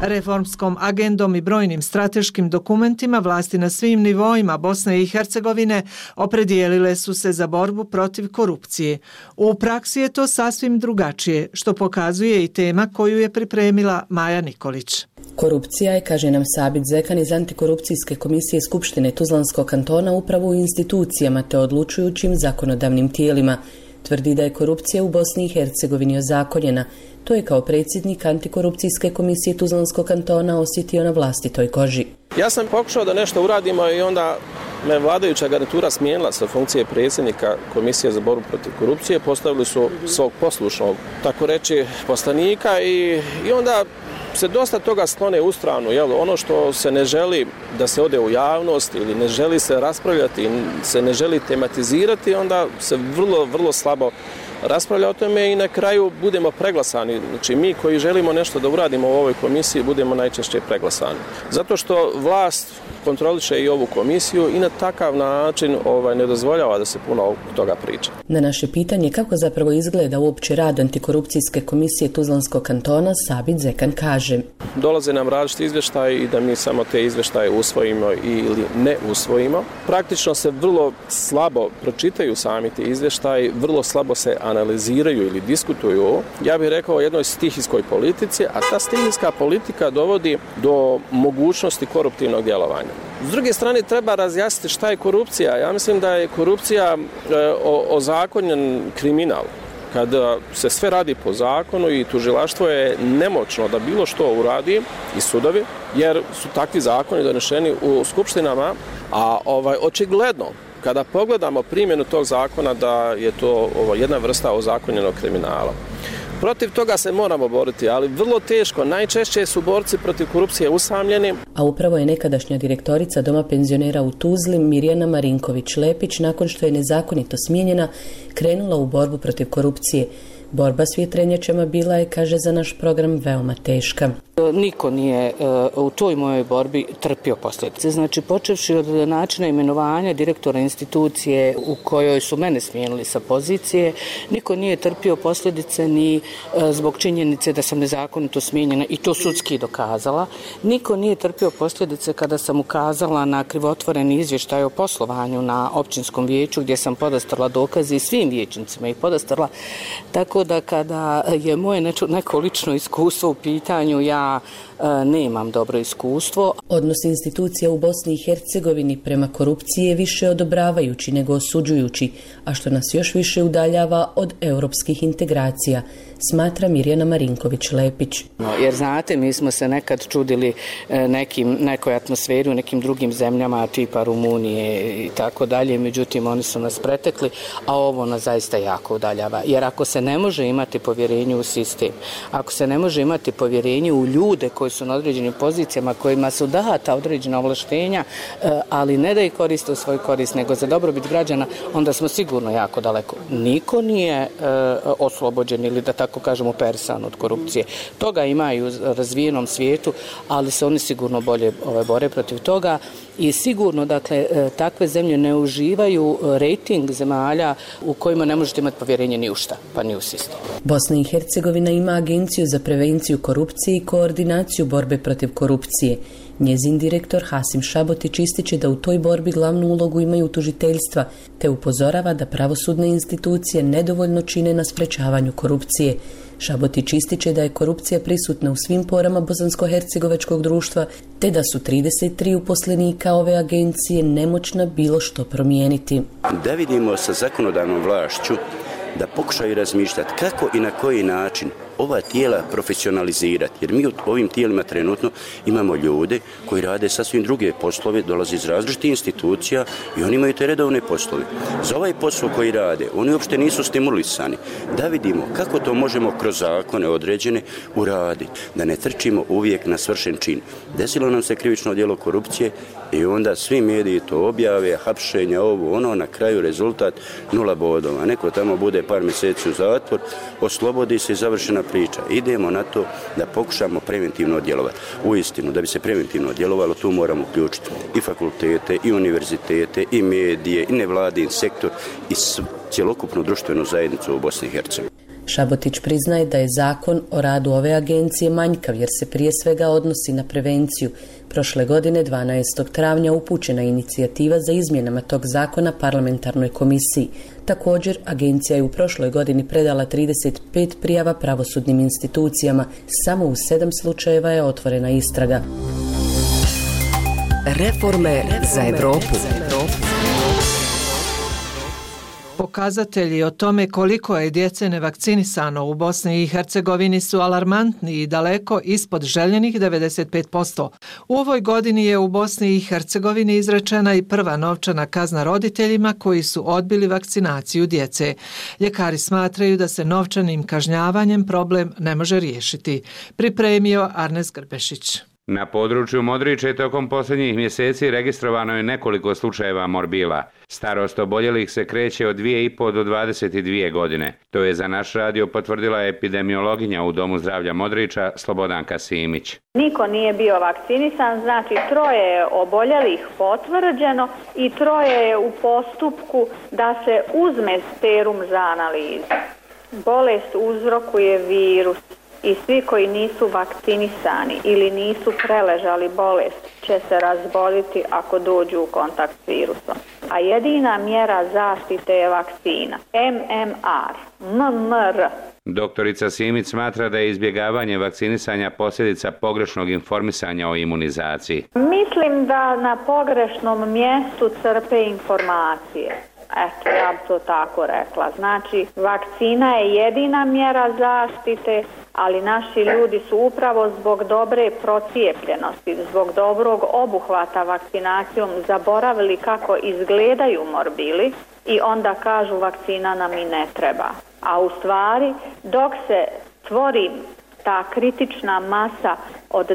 Reformskom agendom i brojnim strateškim dokumentima vlasti na svim nivoima Bosne i Hercegovine opredijelile su se za borbu protiv korupcije. U praksi je to sasvim drugačije, što pokazuje i tema koju je pripremila Maja Nikolić. Korupcija je, kaže nam Sabit Zekan iz Antikorupcijske komisije Skupštine Tuzlanskog kantona, upravo u institucijama te odlučujućim zakonodavnim tijelima. Tvrdi da je korupcija u Bosni i Hercegovini ozakonjena. To je kao predsjednik Antikorupcijske komisije Tuzlanskog kantona osjetio na vlastitoj koži. Ja sam pokušao da nešto uradimo i onda me vladajuća garnitura smijenila sa funkcije predsjednika Komisije za borbu protiv korupcije. Postavili su svog poslušnog, tako reći, poslanika i onda se dosta toga sklone u stranu. Ono što se ne želi da se ode u javnost ili ne želi se raspravljati, se ne želi tematizirati, onda se vrlo slabo raspravlja o tome i na kraju budemo preglasani. Znači mi koji želimo nešto da uradimo u ovoj komisiji budemo najčešće preglasani. Zato što vlast kontroliše i ovu komisiju i na takav način ne dozvoljava da se puno toga priča. Na naše pitanje kako zapravo izgleda uopće rad antikorupcijske komisije Tuzlanskog kantona, Sabit Zekan kaže: dolaze nam različiti izvještaji i da mi samo te izvještaje usvojimo ili ne usvojimo. Praktično se vrlo slabo pročitaju sami ti izvještaji, vrlo slabo se analiziraju ili diskutuju. Ja bih rekao o jednoj stihijskoj politici, a ta stihijska politika dovodi do mogućnosti koruptivnog djelovanja. S druge strane, treba razjasniti šta je korupcija. Ja mislim da je korupcija ozakonjen kriminal. Kada se sve radi po zakonu i tužilaštvo je nemoćno da bilo što uradi i sudovi, jer su takvi zakoni donešeni u skupštinama, a očigledno kada pogledamo primjenu tog zakona da je to jedna vrsta ozakonjenog kriminala. Protiv toga se moramo boriti, ali vrlo teško. Najčešće su borci protiv korupcije usamljeni. A upravo je nekadašnja direktorica Doma penzionera u Tuzli, Mirjana Marinković-Lepić, nakon što je nezakonito smijenjena, krenula u borbu protiv korupcije. Borba s vjetrenjačama bila je, kaže za naš program, veoma teška. Niko nije u toj mojoj borbi trpio posljedice. Znači, počevši od načina imenovanja direktora institucije u kojoj su mene smijenili sa pozicije, niko nije trpio posljedice ni zbog činjenice da sam nezakonito smijenjena i to sudski dokazala. Niko nije trpio posljedice kada sam ukazala na krivotvoreni izvještaj o poslovanju na općinskom vijeću gdje sam podastrla dokaze i svim vijećnicima ih podastrla. Tako da kada je moje neko lično iskustvo u pitanju, ja nemam dobro iskustvo. Odnos institucija u Bosni i Hercegovini prema korupciji je više odobravajući nego osuđujući, a što nas još više udaljava od europskih integracija, smatra Mirjana Marinković-Lepić. Jer znate, mi smo se nekad čudili nekoj atmosferi u nekim drugim zemljama tipa Rumunije i tako dalje, međutim oni su nas pretekli, a ovo nas zaista jako udaljava. Jer ako se ne može imati povjerenje u sistem, ako se ne može imati povjerenje u ljude koji su na određenim pozicijama, kojima su data određena ovlaštenja, ali ne da ih koriste u svoj korist, nego za dobrobit građana, onda smo sigurno jako daleko. Niko nije oslobođen ili da tako kažemo persan od korupcije. Toga ima i u razvijenom svijetu, ali se oni sigurno bolje bore protiv toga i sigurno, dakle, takve zemlje ne uživaju rejting zemalja u kojima ne možete imati povjerenje ni u šta, pa ni u sistem. Bosna i Hercegovina ima Agenciju za prevenciju korupcije i koordinaciju borbe protiv korupcije. Njezin direktor Hasim Šabotić ističe da u toj borbi glavnu ulogu imaju tužiteljstva, te upozorava da pravosudne institucije nedovoljno čine na sprečavanju korupcije. Šabotić ističe da je korupcija prisutna u svim porama bosansko-hercegovačkog društva, te da su 33 uposlenika ove agencije nemoćna bilo što promijeniti. Da vidimo sa zakonodavnom vlašću da pokušaju razmišljati kako i na koji način ova tijela profesionalizirati, jer mi u ovim tijelima trenutno imamo ljude koji rade sasvim druge poslove, dolaze iz različitih institucija i oni imaju te redovne poslove. Za ovaj posao koji rade, oni uopšte nisu stimulisani. Da vidimo kako to možemo kroz zakone određene uraditi, da ne trčimo uvijek na svršen čin. Desilo nam se krivično djelo korupcije i onda svi mediji to objave, hapšenja, ovo, ono, na kraju rezultat 0 bodova. Neko tamo bude par mjeseci u zatvor, oslobodi se i završena priča. Idemo na to da pokušamo preventivno djelovati. Uistinu, da bi se preventivno djelovalo, tu moramo uključiti i fakultete, i univerzitete, i medije, i nevladin sektor, i cjelokupnu društvenu zajednicu u Bosni i Hercegovini. Šabotić priznaje da je zakon o radu ove agencije manjkav jer se prije svega odnosi na prevenciju. Prošle godine, 12. travnja, upućena inicijativa za izmjenama tog zakona parlamentarnoj komisiji. Također, agencija je u prošloj godini predala 35 prijava pravosudnim institucijama. Samo u 7 slučajeva je otvorena istraga. Reforme za Evropu. Pokazatelji o tome koliko je djece nevakcinisano u Bosni i Hercegovini su alarmantni i daleko ispod željenih 95%. U ovoj godini je u Bosni i Hercegovini izrečena i prva novčana kazna roditeljima koji su odbili vakcinaciju djece. Ljekari smatraju da se novčanim kažnjavanjem problem ne može riješiti. Pripremio Arnes Grbešić. Na području Modriče tokom posljednjih mjeseci registrovano je nekoliko slučajeva morbila. Starost oboljelih se kreće od 2,5 do 22 godine. To je za naš radio potvrdila epidemiologinja u Domu zdravlja Modriča Slobodanka Simić. Niko nije bio vakcinisan, znači 3 je oboljelih potvrđeno i 3 je u postupku da se uzme serum za analizu. Bolest uzrokuje virus. I svi koji nisu vakcinisani ili nisu preležali bolest će se razboliti ako dođu u kontakt s virusom. A jedina mjera zaštite je vakcina. MMR. Doktorica Simić smatra da je izbjegavanje vakcinisanja posljedica pogrešnog informisanja o imunizaciji. Mislim da na pogrešnom mjestu crpe informacije. Eto, ja bi to tako rekla. Znači, vakcina je jedina mjera zaštite, ali naši ljudi su upravo zbog dobre procijepljenosti, zbog dobrog obuhvata vakcinacijom zaboravili kako izgledaju morbili i onda kažu vakcina nam i ne treba. A u stvari, dok se stvori ta kritična masa od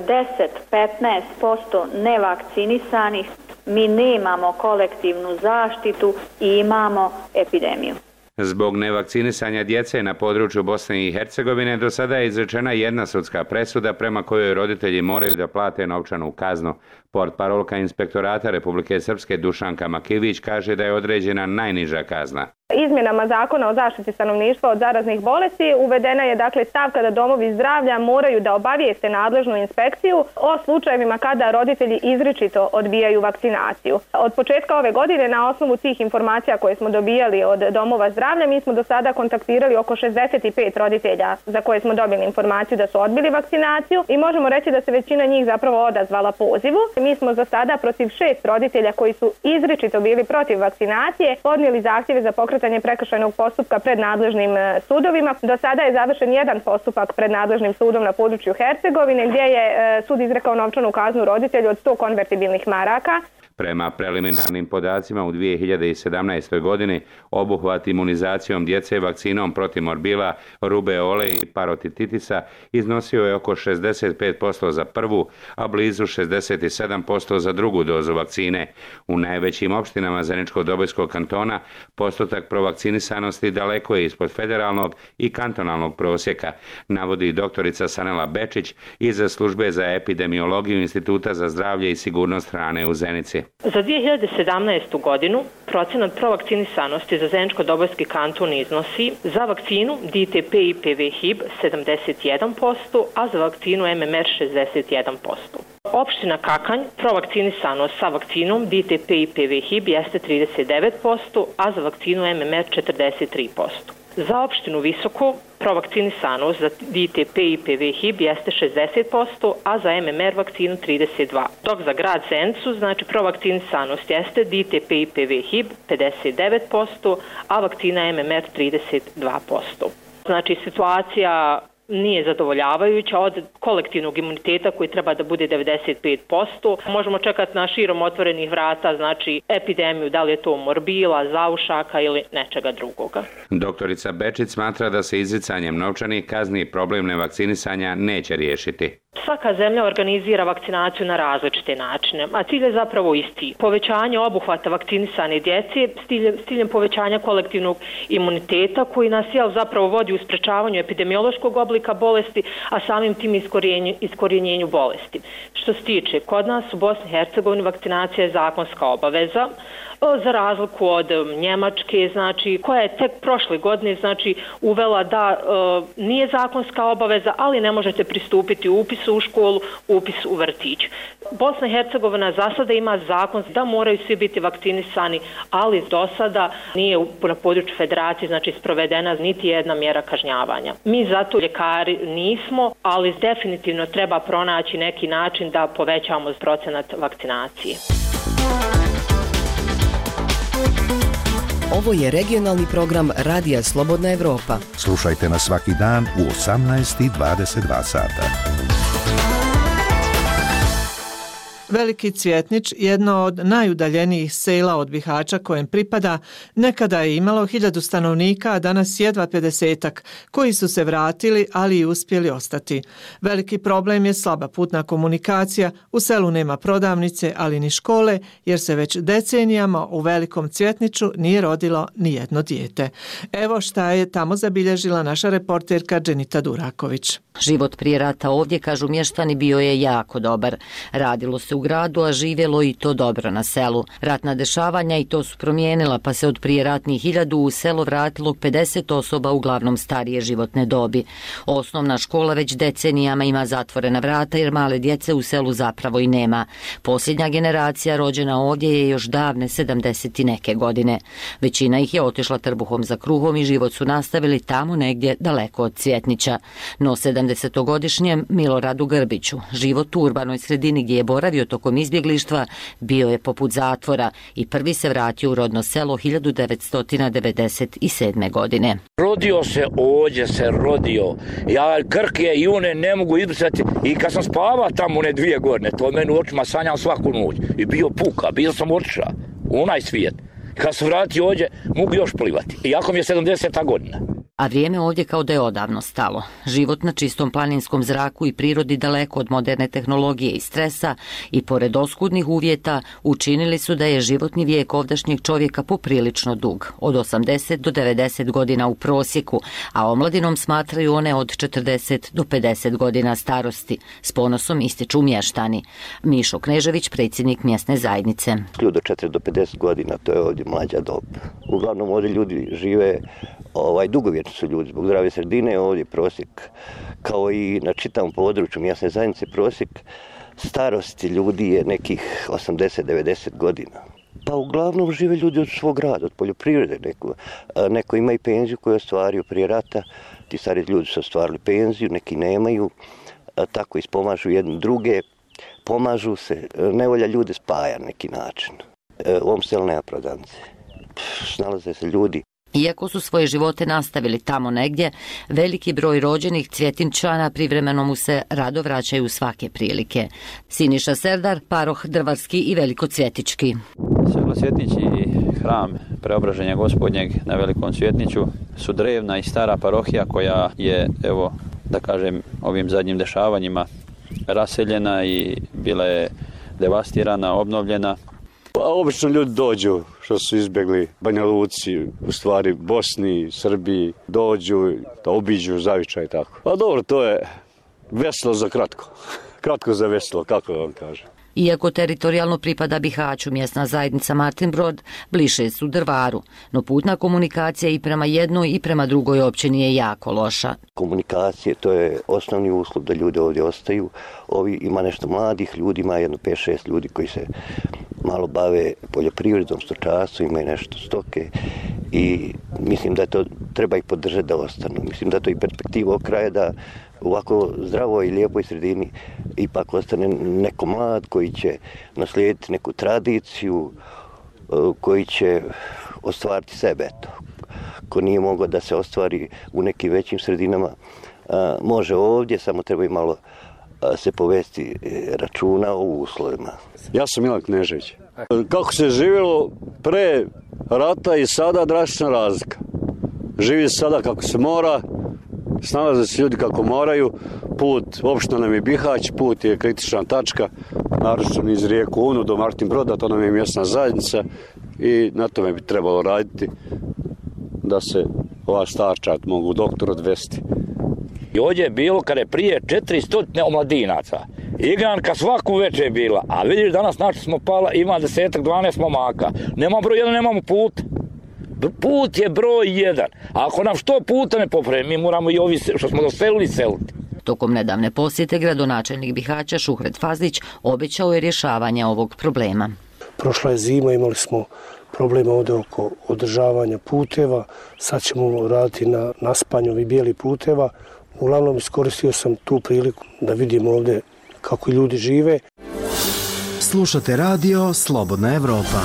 10-15% nevakcinisanih, mi nemamo kolektivnu zaštitu i imamo epidemiju. Zbog nevakcinisanja djece na području Bosne i Hercegovine do sada je izrečena jedna sudska presuda prema kojoj roditelji moraju da plate novčanu kaznu. Portparolka Inspektorata Republike Srpske Dušanka Makivić kaže da je određena najniža kazna. Izmjenama Zakona o zaštiti stanovništva od zaraznih bolesti uvedena je dakle stavka da domovi zdravlja moraju da obavijeste nadležnu inspekciju o slučajevima kada roditelji izričito odbijaju vakcinaciju. Od početka ove godine na osnovu tih informacija koje smo dobijali od domova zdravlja mi smo do sada kontaktirali oko 65 roditelja za koje smo dobili informaciju da su odbili vakcinaciju i možemo reći da se većina njih zapravo odazvala pozivu. Mi smo za sada protiv 6 roditelja koji su izričito bili protiv vakcinacije podnijeli zahtjeve za pokretanje prekršajnog postupka pred nadležnim sudovima. Do sada je završen jedan postupak pred nadležnim sudom na području Hercegovine gdje je sud izrekao novčanu kaznu roditelju od 100 konvertibilnih maraka. Prema preliminarnim podacima u 2017. godini obuhvat imunizacijom djece vakcinom protiv morbila, rubeole i parotitisa iznosio je oko 65% za prvu, a blizu 67% za drugu dozu vakcine. U najvećim opštinama Zeničko-Dobojskog kantona postotak provakcinisanosti daleko je ispod federalnog i kantonalnog prosjeka, navodi doktorica Sanela Bečić iz službe za epidemiologiju Instituta za zdravlje i sigurnost hrane u Zenici. Za 2017. godinu procenat provakcinisanosti za Zeničko-Dobojski kanton iznosi za vakcinu DTP i PV-HIB 71%, a za vakcinu MMR 61%. Opština Kakanj provakcinisanost sa vakcinom DTP i PV-HIB jeste 39%, a za vakcinu MMR 43%. Za opštinu Visoko provakcinisanost za DTP i PV-HIB jeste 60%, a za MMR vakcinu 32%. Dok za grad Zenicu, znači provakcinisanost jeste DTP i PV-HIB 59%, a vakcina MMR 32%. Znači situacija nije zadovoljavajuća od kolektivnog imuniteta koji treba da bude 95%. Možemo čekati na širom otvorenih vrata, znači epidemiju, da li je to morbila, zaušaka ili nečega drugoga. Doktorica Bečić smatra da se izricanjem novčanih kazni problem nevakcinisanja neće riješiti. Svaka zemlja organizira vakcinaciju na različite načine, a cilj je zapravo isti. Povećanje obuhvata vakcinisane djece s ciljem povećanja kolektivnog imuniteta koji nas zapravo vodi u sprečavanju epidemiološkog oblika bolesti, a samim tim iskorjenjenju bolesti. Što se tiče, kod nas u Bosni i Hercegovini vakcinacija je zakonska obaveza, za razliku od Njemačke, znači, koja je tek prošle godine uvela da nije zakonska obaveza, ali ne možete pristupiti upisu u školu, upis u vrtić. Bosna i Hercegovina za sada ima zakon da moraju svi biti vakcinisani, ali do sada nije na području federacije sprovedena niti jedna mjera kažnjavanja. Mi zato ljekari nismo, ali definitivno treba pronaći neki način da povećamo procenat vakcinacije. Ovo je regionalni program Radija Slobodna Evropa. Slušajte nas svaki dan u 18:22 sata. Veliki Cvjetnić, jedno od najudaljenijih sela od Bihaća kojem pripada, nekada je imalo 1000 stanovnika, a danas jedva 50-ak, koji su se vratili, ali i uspjeli ostati. Veliki problem je slaba putna komunikacija, u selu nema prodavnice, ali ni škole, jer se već decenijama u Velikom Cvjetniću nije rodilo ni jedno dijete. Evo šta je tamo zabilježila naša reporterka Dženita Duraković. Život prije rata ovdje, kažu mještani, bio je jako dobar. Radilo se u gradu, a živjelo i to dobro na selu. Ratna dešavanja i to su promijenila, pa se od prije ratnih 1000 u selo vratilo 50 osoba, uglavnom starije životne dobi. Osnovna škola već decenijama ima zatvorena vrata jer male djece u selu zapravo i nema. Posljednja generacija rođena ovdje je još davne 70 i neke godine. Većina ih je otišla trbuhom za kruhom i život su nastavili tamo negdje daleko od Cvjetnića. No 70-godišnjem Miloradu Grbiću život u urbanoj sredini gdje je boravio tokom izbjeglištva bio je poput zatvora i prvi se vratio u rodno selo 1997. godine. Rodio se rodio. Ja krke i one ne mogu izbrisati i kad sam spavao tamo one 2 godine, to meni u očima sanjam svaku noć i bio puka, bio sam otišao u onaj svijet. Kad se vratio ovdje, mogu još plivati, iako mi je 70. godina. A vrijeme ovdje kao da je odavno stalo. Život na čistom planinskom zraku i prirodi daleko od moderne tehnologije i stresa i pored oskudnih uvjeta učinili su da je životni vijek ovdašnjeg čovjeka poprilično dug, od 80 do 90 godina u prosjeku, a omladinom smatraju one od 40 do 50 godina starosti. S ponosom ističu mještani. Mišo Knežević, predsjednik mjesne zajednice. Ljudi od 4 do 50 godina, to je ovdje mlađa dob. Uglavnom ovdje ljudi žive dugovječni su ljudi zbog zdrave sredine. Ovdje prosjek, kao i na čitavom području mjesne zajednice, prosjek starosti ljudi je nekih 80-90 godina. Pa uglavnom žive ljudi od svog rada, od poljoprivrede. Neko ima i penziju koju je ostvario prije rata, ti stari ljudi su ostvarili penziju, neki nemaju, tako ispomažu jedni druge, pomažu se, nevolja ljude spaja na neki način. U ovom selu nema prodavnice, snalaze se ljudi. Iako su svoje živote nastavili tamo negdje, veliki broj rođenih Cvjetinčana privremeno mu se rado vraćaju svake prilike. Siniša Serdar, paroh Drvarski i Velikocvjetički. Selo Cvjetnić i hram Preobraženja Gospodnjeg na Velikom Cvjetniću su drevna i stara parohija koja je, evo da kažem, ovim zadnjim dešavanjima raseljena i bila je devastirana, obnovljena. Pa obično ljudi dođu što su izbjegli Banja Luci, u stvari Bosni, Srbiji, dođu da obiđu zavičaj i tako. Pa dobro, to je veselo za kratko. Kratko za veselo, kako vam kažem. Iako teritorijalno pripada Bihaću, mjesna zajednica Martin Brod bliže su Drvaru, no putna komunikacija i prema jednoj i prema drugoj općini je jako loša. Komunikacije, to je osnovni uslov da ljudi ovdje ostaju. Ovi ima nešto mladih ljudi, ima jedno 5-6 ljudi koji se malo bave poljoprivredom, stočarstvom, imaju nešto stoke i mislim da to treba ih podržati da ostanu. Mislim da to i perspektiva ovog kraja da u ovako zdravoj i lijepoj sredini ipak ostane neko mlad koji će naslijediti neku tradiciju, koji će ostvariti sebe. Ko nije mogao da se ostvari u nekim većim sredinama, može ovdje, samo treba i malo se povesti računa o uslovima. Ja sam Milan Knežević. Kako se živjelo pre rata i sada, drastična razlika. Živi se sada kako se mora, snalaze se ljudi kako moraju, put, opština nam je Bihać, put je kritična tačka, naročito iz rijeku Unu do Martin Broda, to nam je mjesna zajednica i na tome bi trebalo raditi da se ova starčad mogu doktor odvesti. I ovdje je bilo kada je prije 400 omladinaca. Igranka svaku večer je bila, a vidiš danas našli smo pala, ima 10-12 momaka. Nema broj 1, nemamo put. Put je broj 1. A ako nam što puta ne popravi, mi moramo i ovi što smo doselili seliti. Tokom nedavne posjete gradonačelnik Bihaća Šuhret Fazlić obećao je rješavanje ovog problema. Prošla je zima, imali smo problema ovdje oko održavanja puteva, sad ćemo raditi na naspanju ovih bijelih puteva. Uglavnom iskoristio sam tu priliku da vidim ovdje kako ljudi žive. Slušate radio Slobodna Evropa.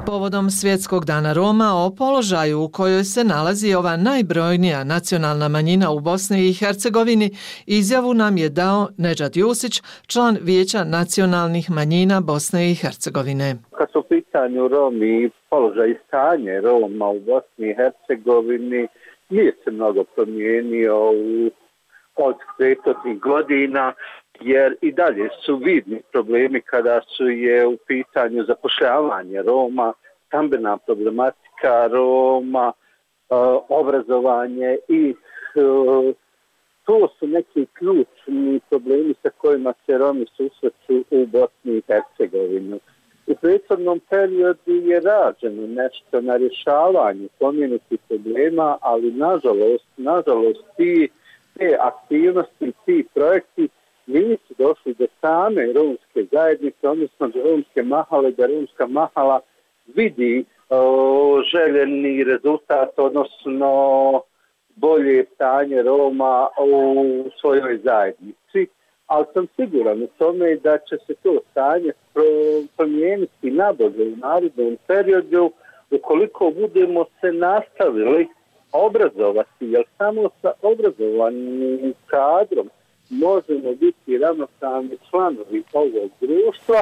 Povodom Svjetskog dana Roma o položaju u kojoj se nalazi ova najbrojnija nacionalna manjina u Bosni i Hercegovini, izjavu nam je dao Nedžad Jusić, član Vijeća nacionalnih manjina Bosne i Hercegovine. Kad su u pitanju Romi, položaj i stanje Roma u Bosni i Hercegovini nije se mnogo promijenio od 500 godina, jer i dalje su vidni problemi kada su je u pitanju zapošljavanje Roma, stambena problematika Roma, obrazovanje i to su neki ključni problemi sa kojima se Romi susreću u Bosni i Hercegovini. U prethodnom periodu je rađeno nešto na rješavanju spomenutih problema, ali nažalost te aktivnosti, ti projekti nisu došli do same romske zajednice, odnosno do romske mahale, da romska mahala vidi željeni rezultat, odnosno bolje stanje Roma u svojoj zajednici. Ali sam siguran u tome da će se to stanje promijeniti nabolje u narednom periodu ukoliko budemo se nastavili obrazovati, jer samo sa obrazovanim kadrom možemo biti ravnopravni članovi ovog društva.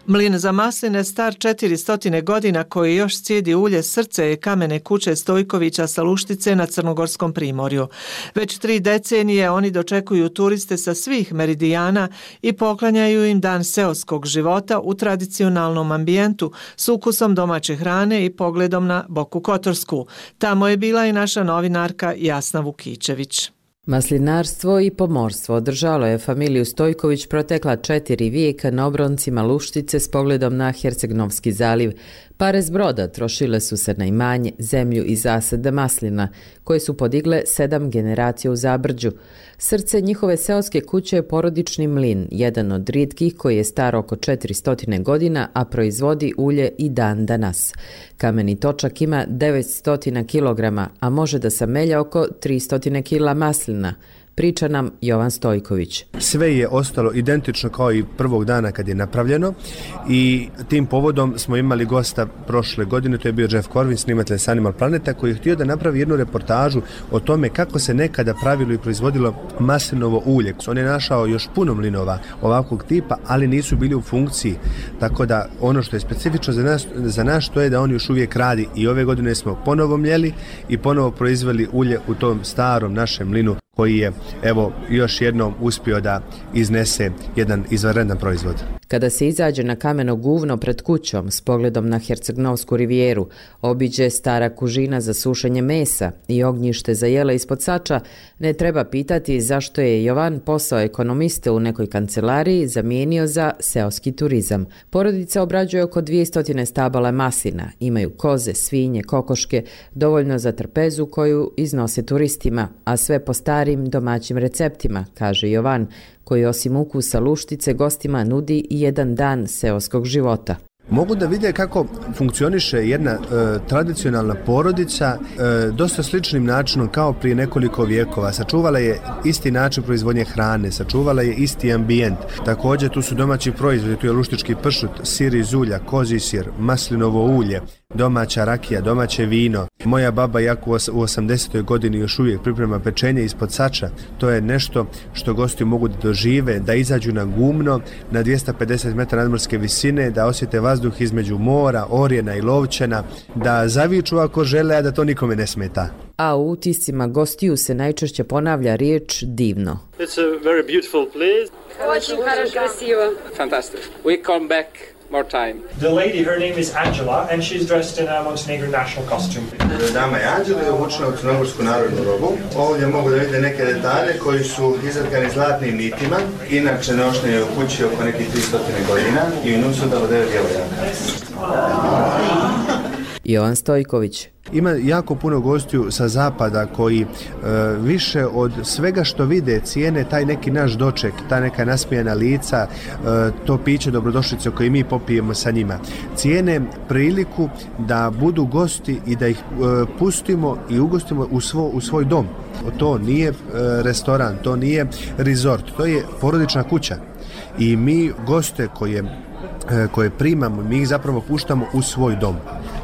Mlin za masline star 400 godina koji još cijedi ulje srce je kamene kuće Stojkovića sa Luštice na Crnogorskom primorju. Već 3 decenije oni dočekuju turiste sa svih meridijana i poklanjaju im dan seoskog života u tradicionalnom ambijentu s ukusom domaće hrane i pogledom na Boku Kotorsku. Tamo je bila i naša novinarka Jasna Vukičević. Maslinarstvo i pomorstvo održalo je familiju Stojković protekla 4 vijeka na obroncima Luštice s pogledom na Herceg-Novski zaliv. Pare s broda trošile su se na imanje, zemlju i zasade maslina, koje su podigle 7 generacija u Zabrđu. Srce njihove seoske kuće je porodični mlin, jedan od rijetkih koji je star oko 400 godina, a proizvodi ulje i dan danas. Kameni točak ima 900 kilograma, a može da samelja oko 300 kila maslina. Priča nam Jovan Stojković. Sve je ostalo identično kao i prvog dana kad je napravljeno i tim povodom smo imali gosta prošle godine, to je bio Jeff Corvin, snimatelj s Animal Planeta, koji je htio da napravi jednu reportažu o tome kako se nekada pravilo i proizvodilo maslinovo ulje. On je našao još puno mlinova ovakvog tipa, ali nisu bili u funkciji, tako da ono što je specifično za nas to je da on još uvijek radi i ove godine smo ponovo mljeli i ponovo proizveli ulje u tom starom našem mlinu koji je, evo, još jednom uspio da iznese jedan izvanredan proizvod. Kada se izađe na kameno guvno pred kućom s pogledom na Herceg-Novsku rivijeru, obiđe stara kužina za sušenje mesa i ognjište za jela ispod sača, ne treba pitati zašto je Jovan posao ekonomiste u nekoj kancelariji zamijenio za seoski turizam. Porodica obrađuje oko 200 stabala maslina, imaju koze, svinje, kokoške, dovoljno za trpezu koju iznose turistima, a sve po starim domaćim receptima, kaže Jovan, koji osim ukusa Luštice gostima nudi i jedan dan seoskog života. Mogu da vide kako funkcioniše jedna tradicionalna porodica dosta sličnim načinom kao prije nekoliko vijekova. Sačuvala je isti način proizvodnje hrane, sačuvala je isti ambijent. Također tu su domaći proizvodi, tu je luštički pršut, sir iz ulja, kozji sir, maslinovo ulje, domaća rakija, domaće vino. Moja baba jako u 80. godini još uvijek priprema pečenje ispod sača. To je nešto što gosti mogu da dožive, da izađu na gumno na 250 metara nadmorske visine, da osjete vazduh između mora, Orjena i Lovćena, da zaviču ako žele, a da to nikome ne smeta. A u utiscima gostiju se najčešće ponavlja riječ divno. It's a very beautiful place. Очень красиво. Fantastic. We come back more time. The lady, her name is Angela, and she's dressed in a Montenegrin national costume. Dama je Anđela je obučena u crnogorsku narodnu robu. Ovdje mogu da vidite neke detalje koji su izratkani zlatnim nitima. Inače nošnje je u kući oko nekih 300 godina i u nju su dalo 9 djevojaka. Jovan Stojković. Ima jako puno gostiju sa zapada koji više od svega što vide cijene taj neki naš doček, ta neka nasmijana lica, to piće dobrodošlice koje mi popijemo sa njima. Cijene priliku da budu gosti i da ih pustimo i ugostimo u svoj dom. To nije restoran, to nije resort, to je porodična kuća. I mi goste koje koje primamo, mi ih zapravo puštamo u svoj dom.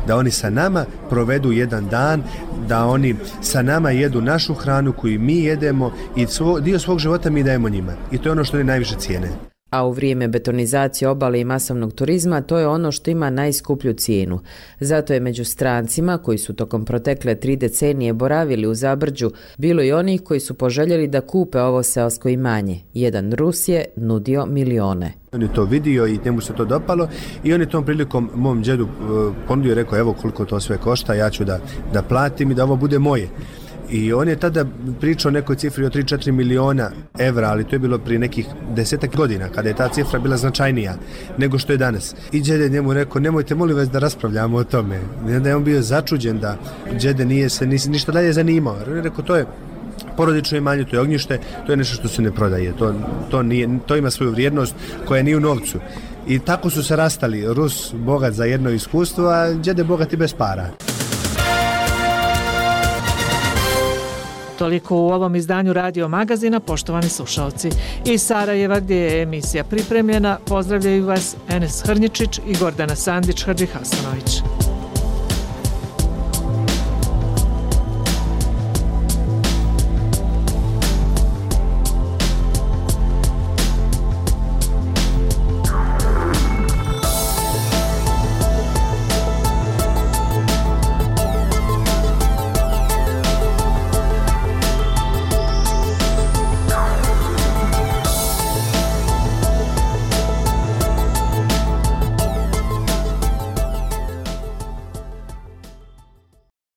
Da oni sa nama provedu jedan dan, da oni sa nama jedu našu hranu koju mi jedemo i dio svog života mi dajemo njima. I to je ono što oni najviše cijene. A u vrijeme betonizacije obale i masovnog turizma to je ono što ima najskuplju cijenu. Zato je među strancima koji su tokom protekle 3 decenije boravili u Zabrđu bilo i onih koji su poželjeli da kupe ovo seosko imanje. Jedan Rus je nudio milione. On je to vidio i njemu se to dopalo i on je tom prilikom mom džedu ponudio i rekao evo koliko to sve košta, ja ću da platim i da ovo bude moje. I on je tada pričao o nekoj cifri od 3-4 miliona evra, ali to je bilo prije nekih 10 godina, kada je ta cifra bila značajnija nego što je danas. I džede njemu rekao, nemojte molim vas da raspravljamo o tome. I onda je on bio začuđen da džede nije se ništa dalje zanimao. On je rekao, to je porodično imanje, to je ognjište, to je nešto što se ne prodaje. To ima svoju vrijednost koja nije u novcu. I tako su se rastali, Rus bogat za jedno iskustvo, a džede bogat i bez para. Toliko u ovom izdanju Radio Magazina, poštovani slušalci. Iz Sarajeva, gdje je emisija pripremljena, pozdravljaju vas Enes Hrnjičić i Gordana Sandić-Hadžihasanović.